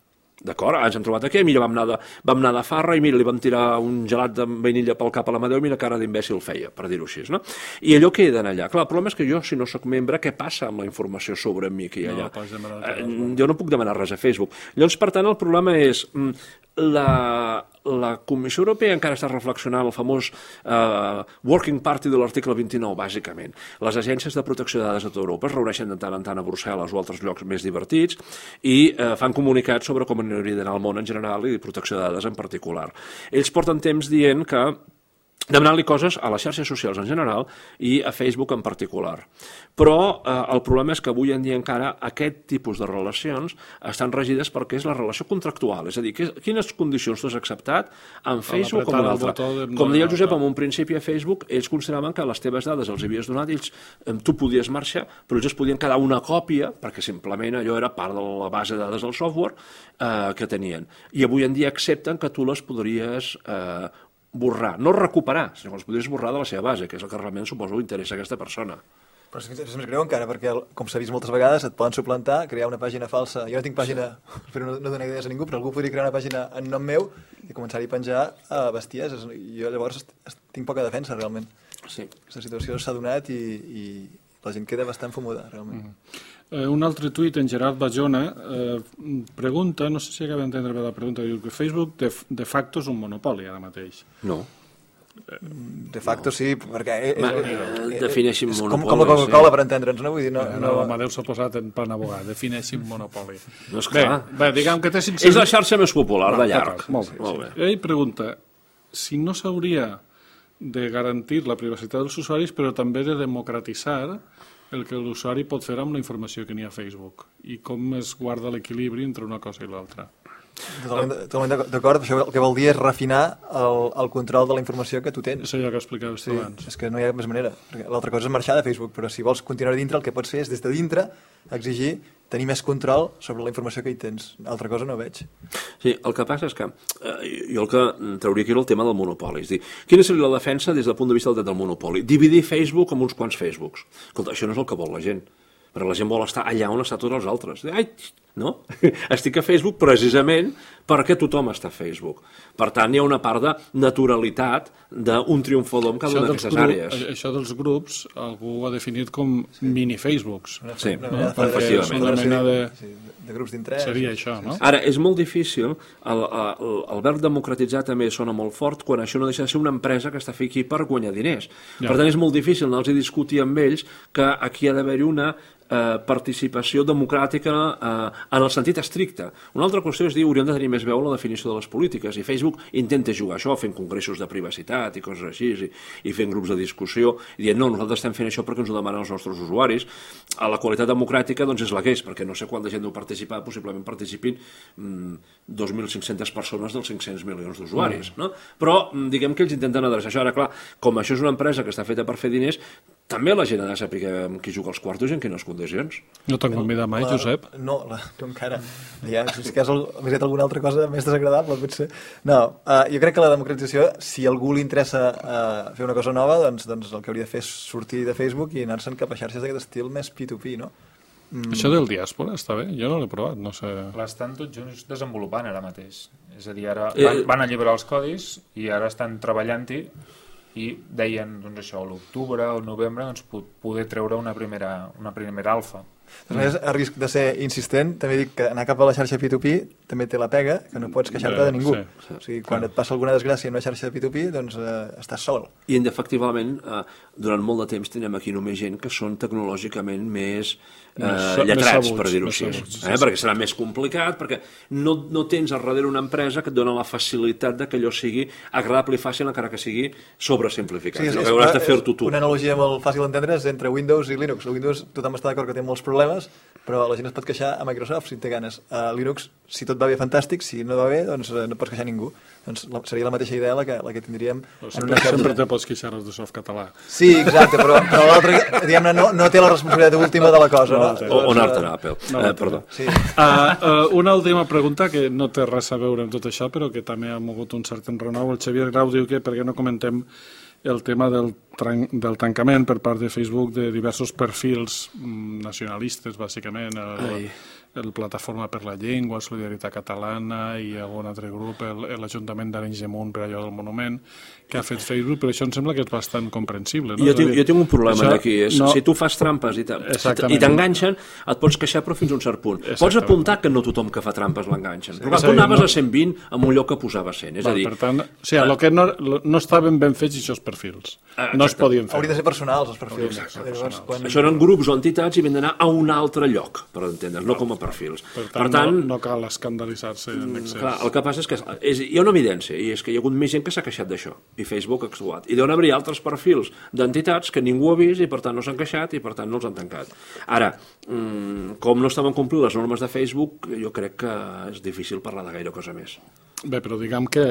D'acord, ens hem trobat aquí, mira, vam anar de farra i mira, li vam tirar un gelat de vainilla pel cap a l'Amadeu i mira cara d'imbècil feia, per dir-ho així, no? I allò queda allà. Clar, el problema és que jo, si no sóc membre, què passa amb la informació sobre mi que hi ha allà? Jo no puc demanar res a Facebook. Llavors, per tant, el problema és la Comissió Europea encara està reflexionant el famós Working Party de l'article 29, bàsicament. Les agències de protecció de dades de tota Europa es reuneixen de tant en tant a Brussel·les o altres llocs més divertits i fan comunicats sobre com hauria d'anar el món en general i protecció de dades en particular. Ells porten temps dient que demanant-li coses a les xarxes socials en general i a Facebook en particular. Però el problema és que avui en dia encara aquest tipus de relacions estan regides perquè és la relació contractual, és a dir, quines condicions tu has acceptat en Facebook o en un altre. Com deia el Josep, en un principi a Facebook ells consideraven que les teves dades els havies donat, tu podies marxar, però ells es podien quedar una còpia, perquè simplement allò era part de la base de dades del software que tenien. I avui en dia accepten que tu les podries borrar, no recuperar, sinó que els podries borrar de la seva base, que és el que realment suposo interessa a aquesta persona. Però és més greu encara, perquè, com s'ha vist moltes vegades, et poden suplantar, crear una pàgina falsa. Jo no tinc pàgina, però no dono idees a ningú, però algú podria crear una pàgina en nom meu i començar-hi a penjar bestieses. Jo llavors tinc poca defensa, realment. Sí. Aquesta situació s'ha donat i la gent queda bastant fumuda, realment. Un altre tuit, en Gerard Bajona, pregunta, no sé si acaba d'entendre bé la pregunta, diu que Facebook de facto és un monopoli ara mateix. No. De facto sí, perquè... Defineixin monopoli. Com la Coca-Cola, per entendre'ns, no? Vull dir, L'Amadeu s'ha posat en plan abogat, defineixin monopoli. No, esclar. Bé, diguem que té 500... És la xarxa més popular, de llarg. Molt bé. Ell pregunta si no s'hauria de garantir la privacitat dels usuaris, però també de democratitzar el que l'usuari pot fer amb la informació que n'hi ha a Facebook i com es guarda l'equilibri entre una cosa i l'altra. Totalment d'acord. Això el que vol dir és refinar el control de la informació que tu tens. És allò que explicaves tu abans. És que no hi ha més manera. L'altra cosa és marxar de Facebook, però si vols continuar dintre, el que pots fer és des de dintre exigir tenir més control sobre la informació que hi tens. Altra cosa no veig. Sí, el que passa és que jo el que trauria aquí era el tema del monopoli. És dir, quina seria la defensa des del punt de vista del dret del monopoli? Dividir Facebook amb uns quants Facebooks. Escolta, això no és el que vol la gent. Perquè la gent vol estar allà on estan tots els altres. Ai, no? Estic a Facebook precisament perquè tothom està a Facebook. Per tant, hi ha una part de naturalitat d'un triomfador en cada una d'aquestes àrees. Això dels grups, algú ho ha definit com mini-Facebooks. Sí, perquè és una mena de grups d'interès. Seria això, no? Ara, és molt difícil, el verb democratitzar també sona molt fort quan això no deixa de ser una empresa que està aquí per guanyar diners. Per tant, és molt difícil anar-los a discutir amb ells que aquí ha d'haver-hi una participació democràtica en el sentit estricte. Una altra qüestió és dir hauríem de tenir més veu la definició de les polítiques i Facebook intenta jugar això fent congressos de privacitat i coses així i fent grups de discussió i dient no, nosaltres estem fent això perquè ens ho demanen els nostres usuaris. A la qualitat democràtica doncs és la que és, perquè no sé quanta gent deu participar, possiblement participin 2.500 persones dels 500 milions d'usuaris, no? Però diguem que ells intenten adreçar això. Ara, clar, com això és una empresa que està feta per fer diners, també la gent ha de saber amb qui juga els quartos i en quines condicions. No t'han convidat mai, Josep? No, encara. Ja, si has fet alguna altra cosa més desagradable, potser. No, jo crec que la democratització, si a algú li interessa fer una cosa nova, doncs el que hauria de fer és sortir de Facebook i anar-se'n cap a xarxes d'aquest estil més P2P, no? Això del diàspora està bé? Jo no l'he provat, no sé. L'estan tots junts desenvolupant ara mateix. És a dir, ara van alliberar els codis i ara estan treballant-hi i deien, doncs això, a l'octubre o al novembre doncs, poder treure una primera alfa. A risc de ser insistent, també dic que anar cap a la xarxa P2P també té la pega, que no pots queixar-te de ningú. O sigui, quan et passa alguna desgràcia en una xarxa de P2P, doncs estàs sol. I efectivament, durant molt de temps tenim aquí només gent que són tecnològicament més lletrats, per dir-ho així. Perquè serà més complicat, perquè no tens al darrere una empresa que et dona la facilitat que allò sigui agradable i fàcil, encara que sigui sobresimplificat. Sí, hauràs de fer-ho tu. Una analogia molt fàcil d'entendre és entre Windows i Linux. El Windows tothom està d'acord que té molts problemes, però la gent es pot queixar a Microsoft si té ganes. A Linux, si tot va bé, fantàstic, si no va bé, doncs no pots queixar ningú. Doncs seria la mateixa idea la que tindríem en una xarxa. Sempre te pots queixar de Softcatalà. Sí, exacte, però l'altre, diguem-ne, no té la responsabilitat última de la cosa. O anar-te'n a Apple. Perdó. Una última pregunta que no té res a veure amb tot això, però que també ha mogut un cert enrenou. El Xavier Grau diu que per què no comentem el tema del tancament per part de Facebook de diversos perfils nacionalistes, bàsicament, el Plataforma per la Llengua, Solidaritat Catalana i algun altre grup, l'Ajuntament d'Arenys de Munt per allò del monument, que ha fet Facebook, però això em sembla que és bastant comprensible. No? Jo tinc un problema d'aquí, si tu fas trampes i t'enganxen, et pots queixar però fins a un cert punt. Pots apuntar que no tothom que fa trampes l'enganxen, però tu anaves a 120 amb un lloc que posava 100, és a dir... Per tant, el que no estaven ben fets aquests perfils, no es podien fer. Haurien de ser personals, els perfils. Això eren grups o entitats i havien d'anar a un altre lloc, per entendre's, no com a perfils. Per tant, no cal escandalitzar-se en excés. Clar, el que passa és que hi ha una evidència, i és que hi ha hagut més gent que s'ha queixat d'això, i Facebook ha actuat. I deuen haver-hi altres perfils d'entitats que ningú ha vist i per tant no s'han queixat i per tant no els han tancat. Ara, com no estaven complint les normes de Facebook, jo crec que és difícil parlar de gaire cosa més. Bé, però diguem que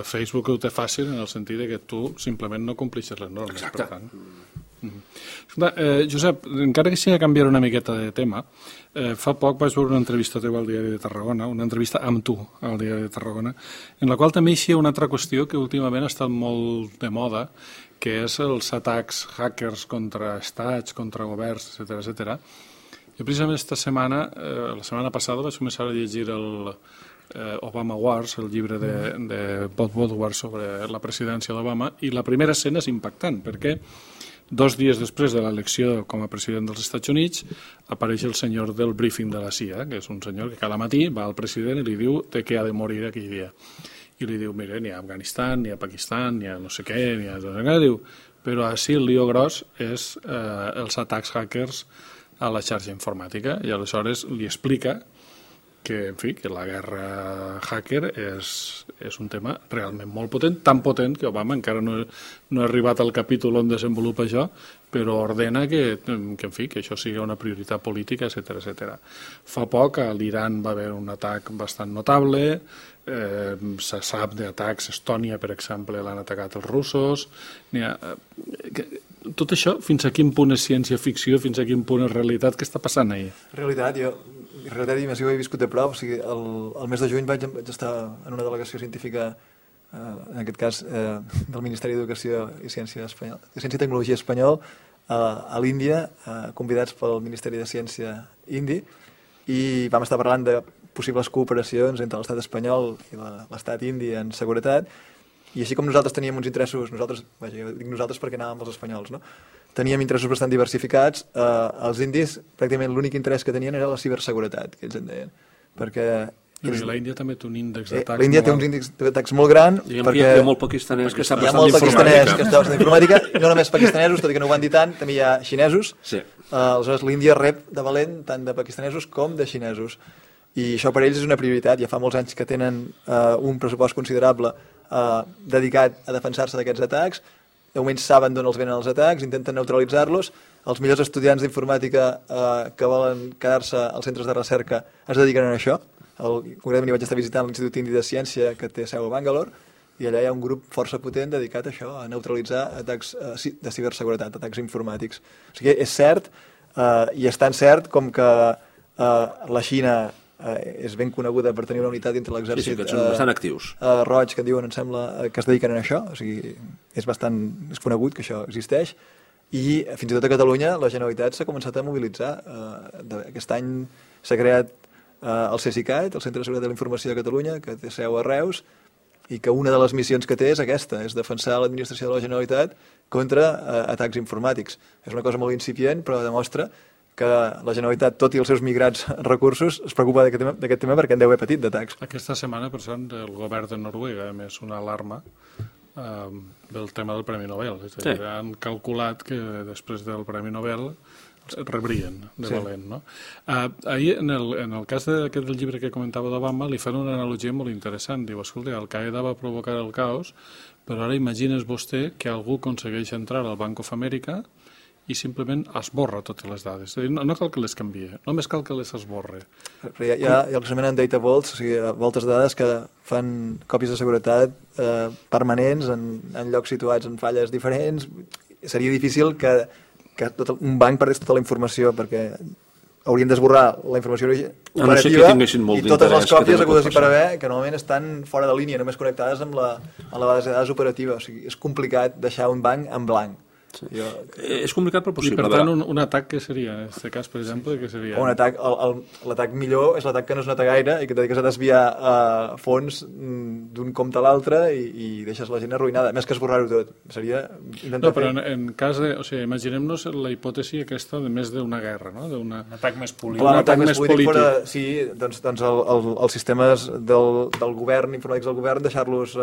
Facebook ho té fàcil en el sentit que tu simplement no complixes les normes. Exacte. Per tant. Josep, encara que sigui a canviar una miqueta de tema, fa poc vaig veure una entrevista teva al Diari de Tarragona, una entrevista amb tu al Diari de Tarragona, en la qual també hi ha una altra qüestió que últimament ha estat molt de moda, que és els atacs hackers contra estats, contra governs, etc. Jo precisament la setmana passada vaig començar a llegir el Obama Wars, el llibre de Bob Woodward sobre la presidència d'Obama, i la primera escena és impactant, perquè 2 dies després de l'elecció com a president dels Estats Units apareix el senyor del briefing de la CIA, que és un senyor que cada matí va al president i li diu de què ha de morir aquell dia. I li diu, mira, n'hi ha Afganistan, n'hi ha Pakistan, n'hi ha no sé què, n'hi ha tot això. Diu, però així el lío gros és els atacs hackers a la xarxa informàtica, i aleshores li explica en fi, que la guerra hacker és un tema realment molt potent, tan potent que Obama encara no ha arribat al capítol on desenvolupa això, però ordena que en fi, que això sigui una prioritat política, etc. Fa poc a l'Iran va haver un atac bastant notable, se sap d'atacs a Estònia, per exemple, l'han atacat els russos. Tot això, fins a quin punt és ciència-ficció, fins a quin punt és realitat? Què està passant ahir? Realitat, i més ho he viscut de prop. O sigui, el mes de juny vaig estar en una delegació científica, en aquest cas del Ministeri d'Educació i Ciència i Tecnologia espanyol, a l'Índia, convidats pel Ministeri de Ciència indi, i vam estar parlant de possibles cooperacions entre l'estat espanyol i l'estat indi en seguretat, i així com nosaltres teníem uns interessos, dic nosaltres perquè anàvem els espanyols, no? Teníem interessos bastant diversificats, els indis pràcticament l'únic interès que tenien era la ciberseguretat, que ells en deien, perquè... L'Índia també té un índex d'atacs l'Índia té un índex d'atacs molt gran, perquè hi ha molt pakistanès que sap bastant d'informàtica, i no només pakistanesos, tot i que no ho van dir tant, també hi ha xinesos. Aleshores l'Índia rep de valent tant de pakistanesos com de xinesos, i això per ells és una prioritat. Ja fa molts anys que tenen un pressupost considerable dedicat a defensar-se d'aquests atacs. De moment saben d'on els venen els atacs, intenten neutralitzar-los. Els millors estudiants d'informàtica que volen quedar-se als centres de recerca es dediquen a això. Concretament vaig estar visitant l'Institut Indi de Ciència, que té seu a Bangalore, i allà hi ha un grup força potent dedicat a això, a neutralitzar atacs de ciberseguretat, atacs informàtics. O sigui, és cert, i és tan cert com que la Xina és ben coneguda per tenir una unitat dintre l'exèrcit que són bastant actius. Roig, que en diuen, em sembla, que es dediquen a això. O sigui, és conegut que això existeix, i fins i tot a Catalunya la Generalitat s'ha començat a mobilitzar. Aquest any s'ha creat el CSICAT, el Centre de Seguretat de la Informació de Catalunya, que té seu a Reus, i que una de les missions que té és aquesta, és defensar l'administració de la Generalitat contra atacs informàtics. És una cosa molt incipient, però demostra que la Generalitat, tot i els seus migrats recursos, es preocupa d'aquest tema perquè en deu haver patit d'atacs. Aquesta setmana, per cert, el govern de Noruega ha emès una alarma del tema del Premi Nobel. És a dir, han calculat que després del Premi Nobel rebrien de valent, no? Ahir, en el cas del llibre que comentava d'Obama, li fan una analogia molt interessant. Diu, escolta, Al-Qaeda va provocar el caos, però ara imagines vostè que algú aconsegueix entrar al Bank of America i simplement esborra totes les dades. No cal que les canvie, només cal que les esborre. Hi ha el que s'anomenen data vaults, o sigui, voltes de dades que fan còpies de seguretat permanents en llocs situats en falles diferents. Seria difícil que un banc perdés tota la informació, perquè haurien d'esborrar la informació operativa i totes les còpies hagudes i per haver, que normalment estan fora de línia, només connectades amb la base de dades operativa. O sigui, és complicat deixar un banc en blanc. És complicat però possible. I per tant, un atac què seria? En aquest cas, per exemple, què seria? L'atac millor és l'atac que no es nota gaire i que et dediques a desviar fons d'un compte a l'altre i deixes la gent arruïnada. Més que esborrar-ho tot. Seria intentar però en cas de... O sigui, imaginem-nos la hipòtesi aquesta de més d'una guerra, no? Un atac més polític. Un atac més polític. Sí, doncs els sistemes del govern, informàtics del govern, deixar-los...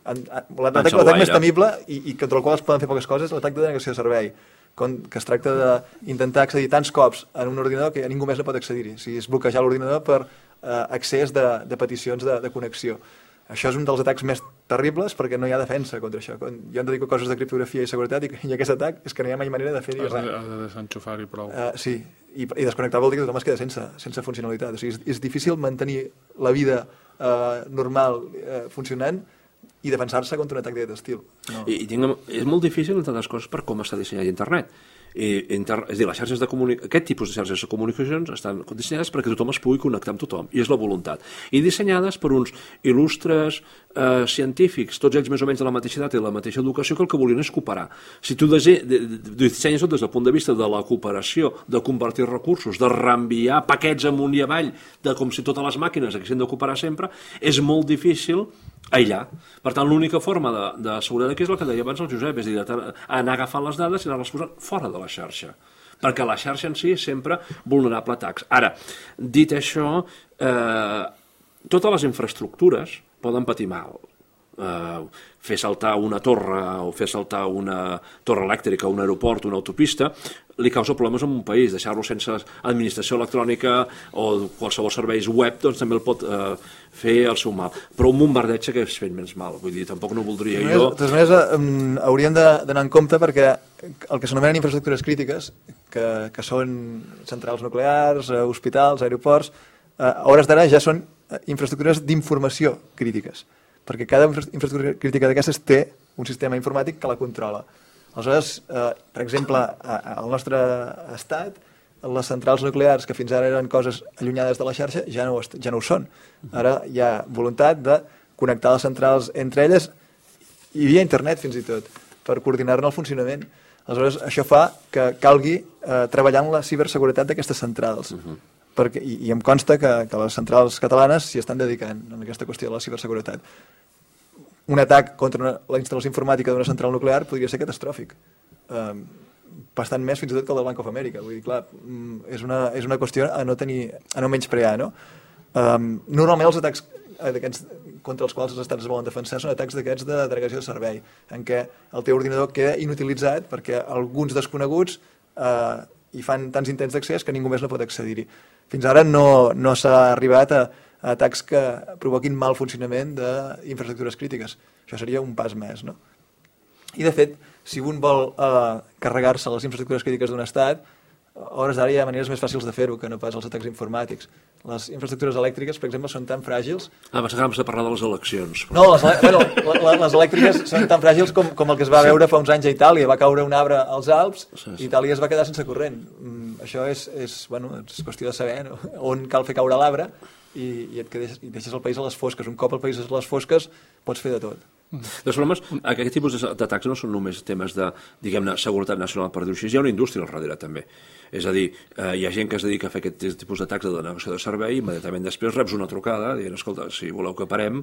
L'atac més temible i contra el qual es poden fer poques coses és l'atac de denegació de servei, que es tracta d'intentar accedir tants cops en un ordinador que ningú més no pot accedir-hi. O sigui, és bloquejar l'ordinador per accés de peticions de connexió. Això és un dels atacs més terribles perquè no hi ha defensa contra això. Jo em dedico a coses de criptografia i seguretat i aquest atac és que no hi ha mai manera de fer-hi res. Has de desenxufar-hi prou. Sí, i desconnectar vol dir que tothom es queda sense funcionalitat. O sigui, és difícil mantenir la vida normal funcionant i defensar-se contra un atac d'aquest estil. No. És molt difícil, entre altres coses, per com està dissenyat internet. És a dir, les xarxes aquest tipus de xarxes de comunicacions estan dissenyades perquè tothom es pugui connectar amb tothom, i és la voluntat. I dissenyades per uns il·lustres científics, tots ells més o menys de la mateixa edat i de la mateixa educació, que el que volien és cooperar. Si tu dissenyes tot des del punt de vista de la cooperació, de compartir recursos, de reenviar paquets amunt i avall, com si totes les màquines haguessin de cooperar sempre, és molt difícil aïllar. Per tant, l'única forma de seguretat aquí és el que deia abans el Josep, és a dir, anar agafant les dades i anar-les posant fora de la xarxa, perquè la xarxa en si és sempre vulnerable a atacs. Ara, dit això, totes les infraestructures poden patir mal, fer saltar una torre o fer saltar una torre elèctrica, un aeroport, una autopista, li causa problemes en un país. Deixar-lo sense administració electrònica o qualsevol serveis web doncs també el pot fer el seu mal. Però un bombardeig que és fent menys mal. Vull dir, tampoc no voldria jo... De totes maneres, hauríem d'anar en compte perquè el que s'anomenen infraestructures crítiques, que són centrals nuclears, hospitals, aeroports, a hores d'ara ja són infraestructures d'informació crítiques, perquè cada infraestructura crítica d'aquestes té un sistema informàtic que la controla. Aleshores, per exemple, al nostre estat, les centrals nuclears, que fins ara eren coses allunyades de la xarxa, ja no ho són. Ara hi ha voluntat de connectar les centrals entre elles i via internet, fins i tot, per coordinar-ne el funcionament. Aleshores, això fa que calgui treballar en la ciberseguretat d'aquestes centrals. I em consta que les centrals catalanes s'hi estan dedicant en aquesta qüestió de la ciberseguretat. Un atac contra la instal·lació informàtica d'una central nuclear podria ser catastròfic. Bastant més fins i tot que el del Banc of America. Vull dir, clar, és una qüestió a no menysprear, no? Normalment els atacs contra els quals els estats es volen defensar són atacs d'aquests de denegació de servei, en què el teu ordinador queda inutilitzat perquè alguns desconeguts hi fan tants intents d'accés que ningú més no pot accedir-hi. Fins ara no s'ha arribat a atacs que provoquin mal funcionament d'infraestructures crítiques. Això seria un pas més, no? I, de fet, si un vol carregar-se les infraestructures crítiques d'un estat, a hores d'ara hi ha maneres més fàcils de fer-ho que no pas els atacs informàtics. Les infraestructures elèctriques, per exemple, són tan fràgils... Abans de parlar de les eleccions. No, les elèctriques són tan fràgils com el que es va veure fa uns anys a Itàlia. Va caure un arbre als Alps i Itàlia es va quedar sense corrent. Això és qüestió de saber on cal fer caure l'arbre i deixes el país a les fosques. Un cop el país és a les fosques pots fer de tot. De problemes, aquest tipus d'atacs no són només temes de, diguem-ne, seguretat nacional, per dir-ho així, hi ha una indústria al darrere també. És a dir, hi ha gent que es dedica a fer aquest tipus d'atacs de denegació de servei i immediatament després reps una trucada dient, escolta, si voleu que parem,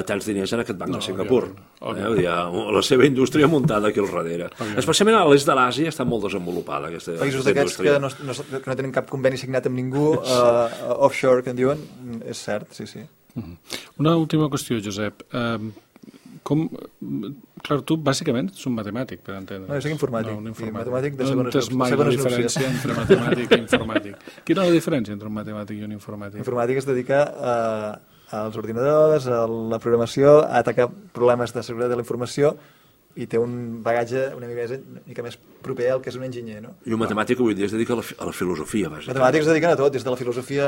tants diners en aquest banc de Singapur. Hi ha la seva indústria muntada aquí al darrere. Especialment a l'est de l'Àsia està molt desenvolupada aquesta països d'aquests que no tenen cap conveni signat amb ningú, offshore, que en diuen, és cert, sí. Una última qüestió, Josep. Clar, tu bàsicament ets un matemàtic, per entendre. No, jo soc informàtic. No, matemàtic de no entens mai la diferència entre matemàtic i informàtic. Quina és la diferència entre un matemàtic i un informàtic? L'informàtic es dedica als ordinadors, a la programació, a atacar problemes de seguretat de la informació i té un bagatge una mica més proper al que és un enginyer, no? I un matemàtic avui dia es dedica a la filosofia, bàsicament. Matemàtics es dediquen a tot, des de la filosofia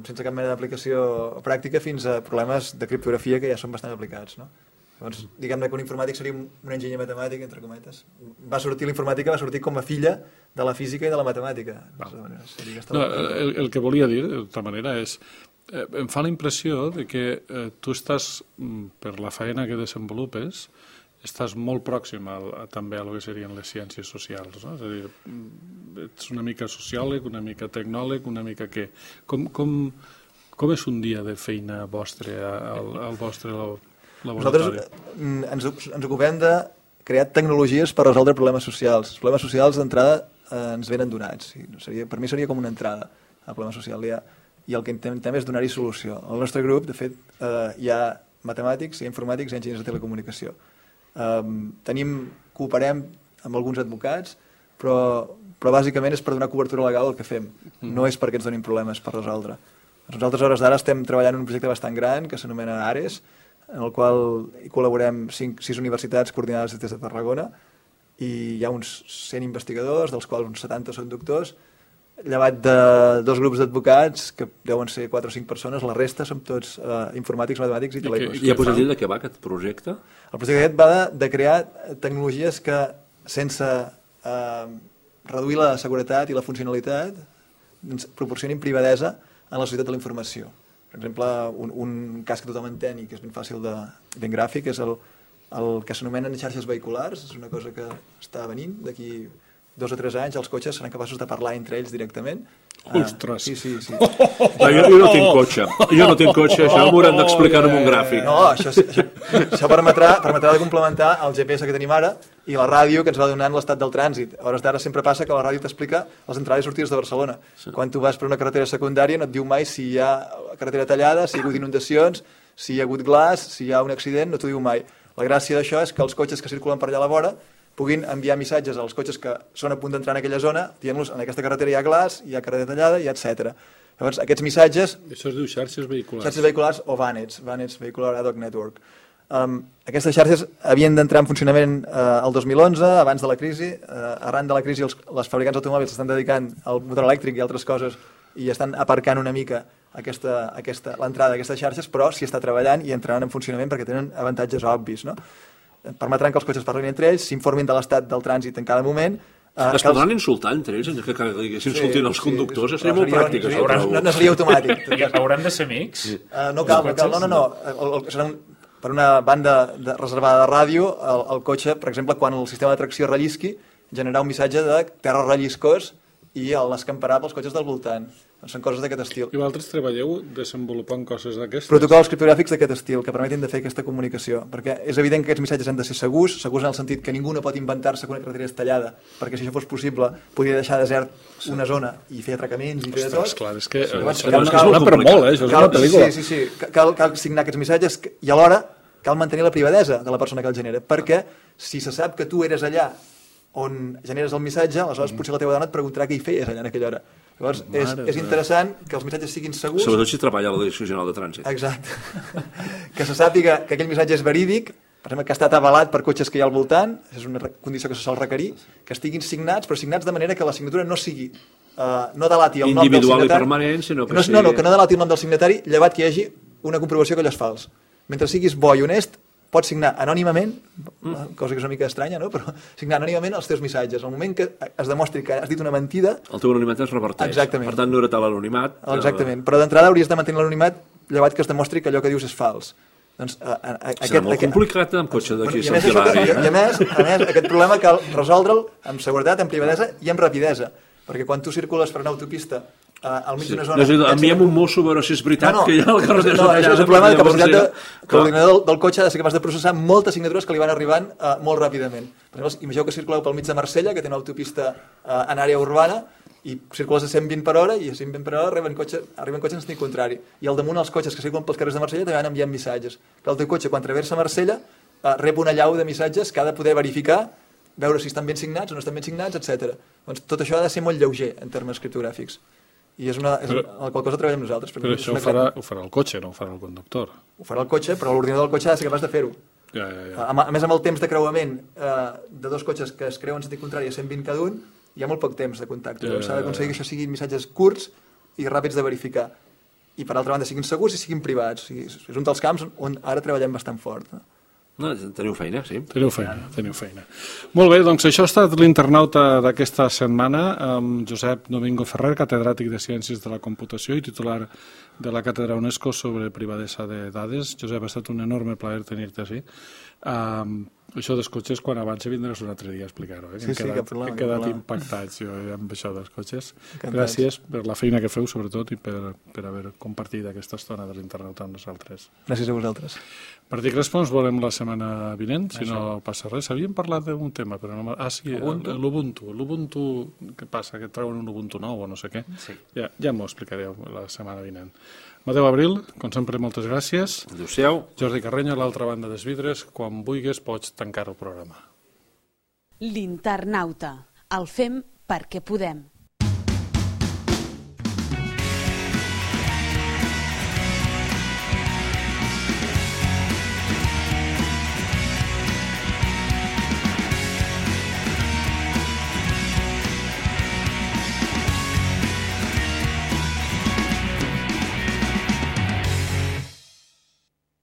sense cap mena d'aplicació pràctica fins a problemes de criptografia que ja són bastant aplicats, no? Llavors, diguem-ne que un informàtic seria un enginyer matemàtic, entre cometes. L'informàtica va sortir com a filla de la física i de la matemàtica. No, el que volia dir, de tota manera, és em fa la impressió de que tu estàs, per la feina que desenvolupes, estàs molt pròxim també a lo que serien les ciències socials, no? És a dir, ets una mica sociòleg, una mica tecnòleg, una mica què? Com és un dia de feina vostre al vostre laboratori? Nosaltres ens ocupem de crear tecnologies per resoldre problemes socials. Els problemes socials d'entrada ens venen donats. Per mi seria com una entrada al problema social. I el que intentem és donar-hi solució. Al nostre grup, de fet, hi ha matemàtics, hi ha informàtics i enginyers de telecomunicació. Cooperem amb alguns advocats, però bàsicament és per donar cobertura legal al que fem. No és perquè ens donin problemes per resoldre. Nosaltres, a hores d'ara, estem treballant en un projecte bastant gran que s'anomena ARES, en el qual hi col·laborem 6 universitats coordinades des de Tarragona i hi ha uns 100 investigadors, dels quals uns 70 són doctors, llevat de 2 grups d'advocats, que deuen ser 4 o 5 persones, la resta som tots informàtics, matemàtics i telecos. I ja pots dir de què va aquest projecte? El projecte aquest va de crear tecnologies que, sense reduir la seguretat i la funcionalitat, ens proporcionin privadesa en la societat de la informació. Per exemple, un cas que tothom entén i que és ben fàcil, ben gràfic, és el que s'anomenen xarxes vehiculars. És una cosa que està venint. D'aquí 2 o 3 anys els cotxes seran capaços de parlar entre ells directament. Ostres! Sí. Jo no tinc cotxe. Això m'hauran d'explicar en un gràfic. No, això permetrà de complementar el GPS que tenim ara i la ràdio que ens va donant l'estat del trànsit. A hores d'ara sempre passa que la ràdio t'explica les entrades i sortides de Barcelona. Quan tu vas per una carretera secundària no et diu mai si hi ha carretera tallada, si hi ha hagut inundacions, si hi ha hagut glaç, si hi ha un accident, no t'ho diu mai. La gràcia d'això és que els cotxes que circulen per allà a la vora puguin enviar missatges als cotxes que són a punt d'entrar en aquella zona, dient-los en aquesta carretera hi ha glaç, hi ha carretera tallada, i etc. Llavors, aquests missatges... Això es diu xarxes vehiculars. Xarxes vehiculars o VANETs, VANETs Vehicular Ad Hoc Network. Aquestes xarxes havien d'entrar en funcionament el 2011, abans de la crisi. Arran de la crisi, les fabricants d'automòbils s'estan dedicant al motor elèctric i altres coses i estan aparcant una mica l'entrada d'aquestes xarxes, però s'hi està treballant i entraran en funcionament perquè tenen avantatges obvis. No? Permetran que els cotxes parlin entre ells, s'informin de l'estat del trànsit en cada moment. Es podran insultar entre ells, que s'insultin els conductors, seria molt pràctic. No seria automàtic. Hauran de ser amics? No cal. Serà per una banda reservada de ràdio, el cotxe, per exemple, quan el sistema de tracció rellisqui, generarà un missatge de terra relliscós i l'escamparà pels cotxes del voltant. Són coses d'aquest estil. I vosaltres treballeu desenvolupant coses d'aquestes? Protocols criptogràfics d'aquest estil, que permetin de fer aquesta comunicació. Perquè és evident que aquests missatges han de ser segurs en el sentit que ningú no pot inventar-se que una carretera és tallada, perquè si això fos possible, podria deixar desert una zona i fer atracaments i fer de tot. Clar, és que això és per molt, això és una pel·lícula. Sí. Cal signar aquests missatges i alhora cal mantenir la privadesa de la persona que el genera, perquè si se sap que tu eres allà on generes el missatge, aleshores potser la teva dona et preguntarà què hi feies allà en aquella hora. Llavors, és interessant que els missatges siguin segurs. Sobretot si treballa a la Direcció General de Trànsit. Exacte. Que se sàpiga que aquell missatge és verídic, per exemple, que ha estat avalat per cotxes que hi ha al voltant, és una condició que se sol requerir, que estiguin signats, però signats de manera que la signatura no sigui, no delati el nom del signatari. Individual i permanent, sinó que sigui... No, que no delati el nom del signatari, llevat que hi hagi una comprovació que allò és fals. Mentre siguis bo i honest, pots signar anònimament, cosa que és una mica estranya, no? Però signar anònimament els teus missatges. Al moment que es demostri que has dit una mentida... El teu anonimat es reverteix. Exactament. Per tant, no era tal l'anonimat. Exactament. Però d'entrada hauries de mantenir l'anonimat llevat que es demostri que allò que dius és fals. Doncs, serà molt complicat amb cotxe d'aquí a Sant Hilari. I a més, aquest problema cal resoldre'l amb seguretat, amb privadesa i amb rapidesa. Perquè quan tu circules per una autopista al mig d'una zona... Enviem un mosso a veure si és veritat que hi ha la carretera tallada. No, això és un problema de capacitat que l'ordinador del cotxe ha de ser capaç de processar moltes signatures que li van arribant molt ràpidament. Per exemple, imagineu que circuleu pel mig de Marsella, que té una autopista en àrea urbana, i circules a 120 per hora, i a 120 per hora arriben cotxes en sentit contrari. I al damunt els cotxes que circulen pels carrers de Marsella també van enviant missatges. Que el teu cotxe, quan traversa Marsella, rep una llau de missatges que ha de poder verificar, veure si estan ben signats o no estan ben signats, etc. Doncs tot això ha de ser molt lleuger en termes criptogràfics. I és el qual cosa treballem nosaltres. Però això ho farà el cotxe, no ho farà el conductor. Ho farà el cotxe, però l'ordinador del cotxe ha de ser capaç de fer-ho. Ja. A més, amb el temps de creuament de dos cotxes que es creuen en sentit contrari a 120 cada un, hi ha molt poc temps de contacte. S'ha d'aconseguir que això siguin missatges curts i ràpids de verificar. I, per altra banda, siguin segurs i siguin privats. És un dels camps on ara treballem bastant fort. No, teniu feina, sí. Teniu feina. Molt bé, doncs això ha estat l'internauta d'aquesta setmana amb Josep Domingo Ferrer, catedràtic de Ciències de la Computació i titular de la Càtedra UNESCO sobre privadesa de dades. Josep, ha estat un enorme plaer tenir-te així. Això dels cotxes, quan avanci vindràs un altre dia a explicar-ho. Sí, cap problema. He quedat impactats jo amb això dels cotxes. Gràcies per la feina que feu, sobretot, i per haver compartit aquesta estona de l'internauta amb nosaltres. Gràcies a vosaltres. Partit Respons volem la setmana vinent, si no passa res. Havíem parlat d'un tema, però no... sí, l'Ubuntu. L'Ubuntu, què passa? Que treuen un Ubuntu nou o no sé què? Sí. Ja m'ho explicareu la setmana vinent. Mateu Abril, com sempre, moltes gràcies. Adéu-siau. Jordi Carreño, a l'altra banda dels vidres. Quan vulguis pots tancar el programa. L'internauta. El fem perquè podem.